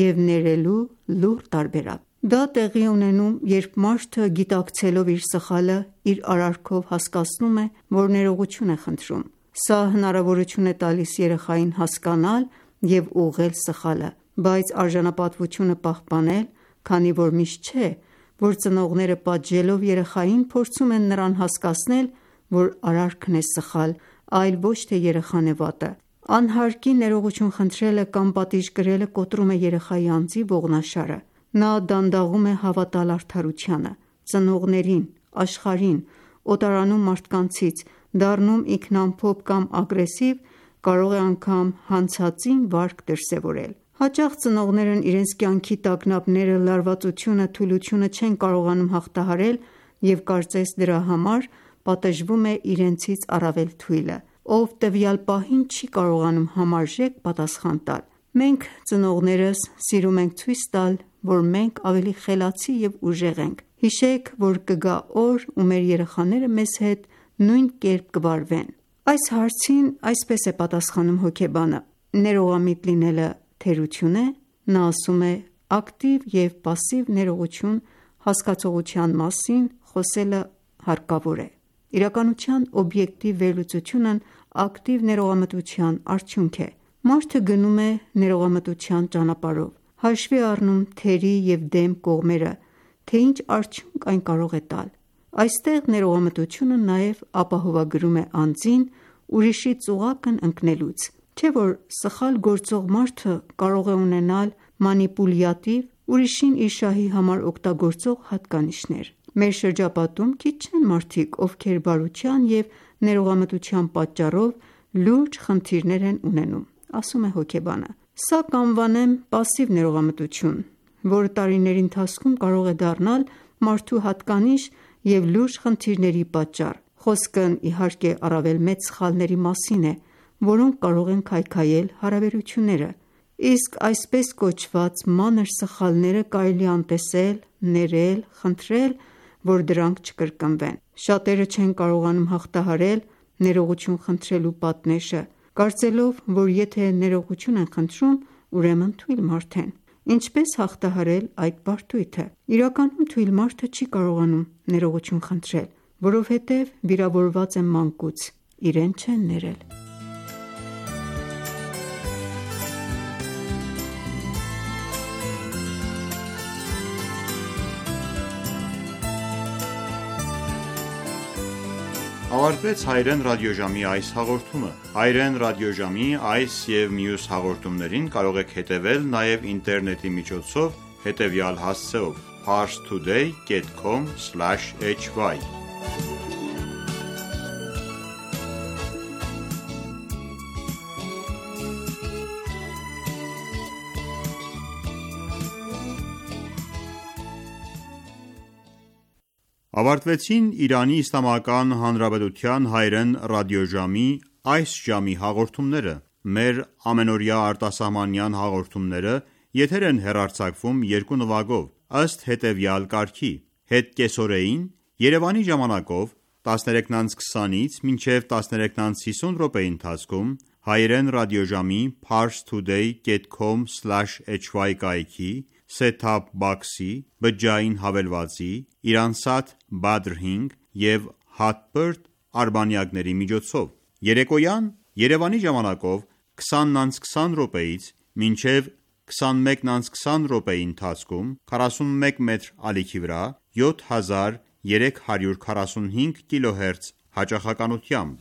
[SPEAKER 8] և ներելու լուռ տարբերակ։ Դա տեղի ունենում, երբ մարդը գիտակցելով իր սխալը, իր արարքով հասկացնում է, որ ներողություն է խնդրում: Սա հնարավորություն է տալիս երեխային հասկանալ և ուղղել սխալը, բայց արժանապատվությունը պահպանել, քանի որ միշտ չէ, որ ծնողները պատժելով երեխային փորձում են նրան հասկացնել, որ արարքն է սխալ, այլ ոչ թե երեխան է վատը: Անհարկի ներողություն խնդրելը կամ պատիժ կրելը կոտրում է երեխայի անձի ողնաշարը: Նա դանդաղում է հավատալ արդարությանը, ծնողներին, աշխարհին, օտարանում մարդկանցից, դառնում ինքնամփոփ կամ ագրեսիվ, կարող է անգամ հանցածին վարք դրսևորել: Հաճախ ծնողներն իրենց կյանքի տագնապները, լարվածությունը, թուլությունը չեն կարողանում հաղթահարել և կարծես դրա համար պատժվում է իրենցից առավել թույլը, ով տվյալ պահին չի կարողանում համարժեք պատասխան տալ: Մենք ծնողներս սիրում ենք ցույց տալ, որ մենք ավելի խելացի և ուժեղ ենք: Հիշեք, որ կգա օր, ու մեր երեխաները մեզ հետ նույն կերպ կվարվեն: Այս հարցին այսպես է պատասխանում հոգեբանը. Ներողամիտ լինելը թերություն է: Նա ասում է. ակտիվ և պասիվ ներողություն հասկացողության մասին խոսելը հարկավոր է: Իրականության օբյեկտիվ վերլուծությունն ակտիվ ներողամտության արդյունք է: Մարդը գնում է ներողամտության ճանապարհով, հաշվի առնում թերի և դեմ կողմերը, թե ինչ արդյունք այն կարող է տալ: Այստեղ ներողամտությունը նաև ապահովագրում է անձին ուրիշի ծուղակն ընկնելուց: Չէ՞ որ սխալ գործող մարդը կարող է ունենալ մանիպուլյատիվ, ուրիշին իր շահի համար օգտագործող հատկանիշներ: Մեր շրջապատում քիչ չեն մարդիկ, ովքեր բարության և ներողամտության պատճառով լուրջ խնդիրներ են ունենում: Ասում է հոգեբանը. Սա կանվանեմ պասիվ ներողամտություն, որը տարիների ընթացքում կարող է դառնալ մարդու հատկանիշ և լուրջ խնդիրների պատճառ: Խոսքն իհարկե առավել մեծ սխալների մասին է, որոնք կարող են քայքայել հարաբերությունները: Իսկ այսպես կոչված մանր սխալները կարելի է անտեսել, ներել, խնդրել, որ դրանք չկրկնվեն: Շատերը չեն կարողանում հաղթահարել ներողություն խնդրելու պատնեշը, կարծելով, որ եթե ներողություն են խնդրում, ուրեմն թույլ մարդ են: Ինչպե՞ս հաղթահարել այդ բարդույթը: Իրականում թույլ մարդը չի կարողանում ներողություն խնդրել, որովհետև վիրավորված է մանկուց, իրեն չեն ներել:
[SPEAKER 1] Ավարտվեց հայրեն ռադիոժամի այս հաղորդումը: Հայրեն ռադիոժամի այս և մյուս հաղորդումներին կարող եք հետևել նաև ինտերնետի միջոցով հետևյալ հասցեով. parstoday dot com slash h y Ավարտվեցին Իրանի Իսլամական Հանրապետության հայրեն ռադիոժամի այս ժամի հաղորդումները: Մեր ամենօրյա արտասահմանյան հաղորդումները եթեր են հեռարձակվում երկու նվագով, ըստ հետևյալ կարգի. Հետկեսօրեին Երևանի ժամանակով տասներեքն անց քսանից մինչև տասներեքն անց հիսուն րոպեի ընթացքում հայրեն ռադիոժամի parstoday dot com slash h y կայքի, set-top box-ի, բջջային հավելվածի, Iransat Badr հինգ և Hotbird արբանյակների միջոցով: Երեկոյան Երևանի ժամանակով քսանն անց քսան րոպեից մինչև քսանմեկն անց քսան րոպեի ընթացքում քառասունմեկ մետր ալիքի վրա յոթ հազար երեք հարյուր քառասունհինգ կիլոհերց հաճախականությամբ: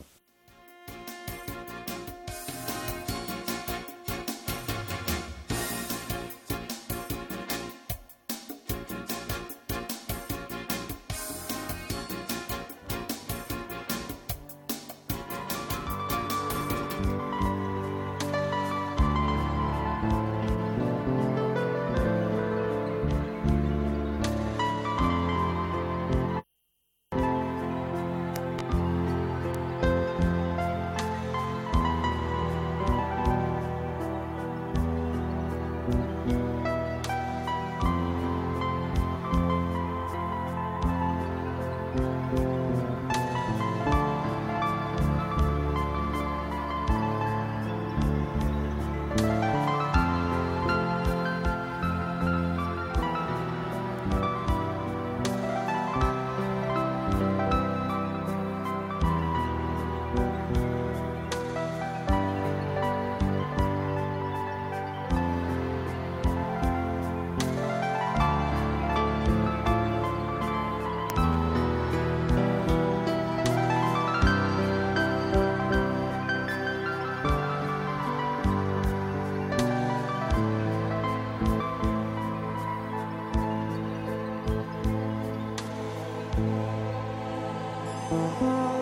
[SPEAKER 10] Thank you.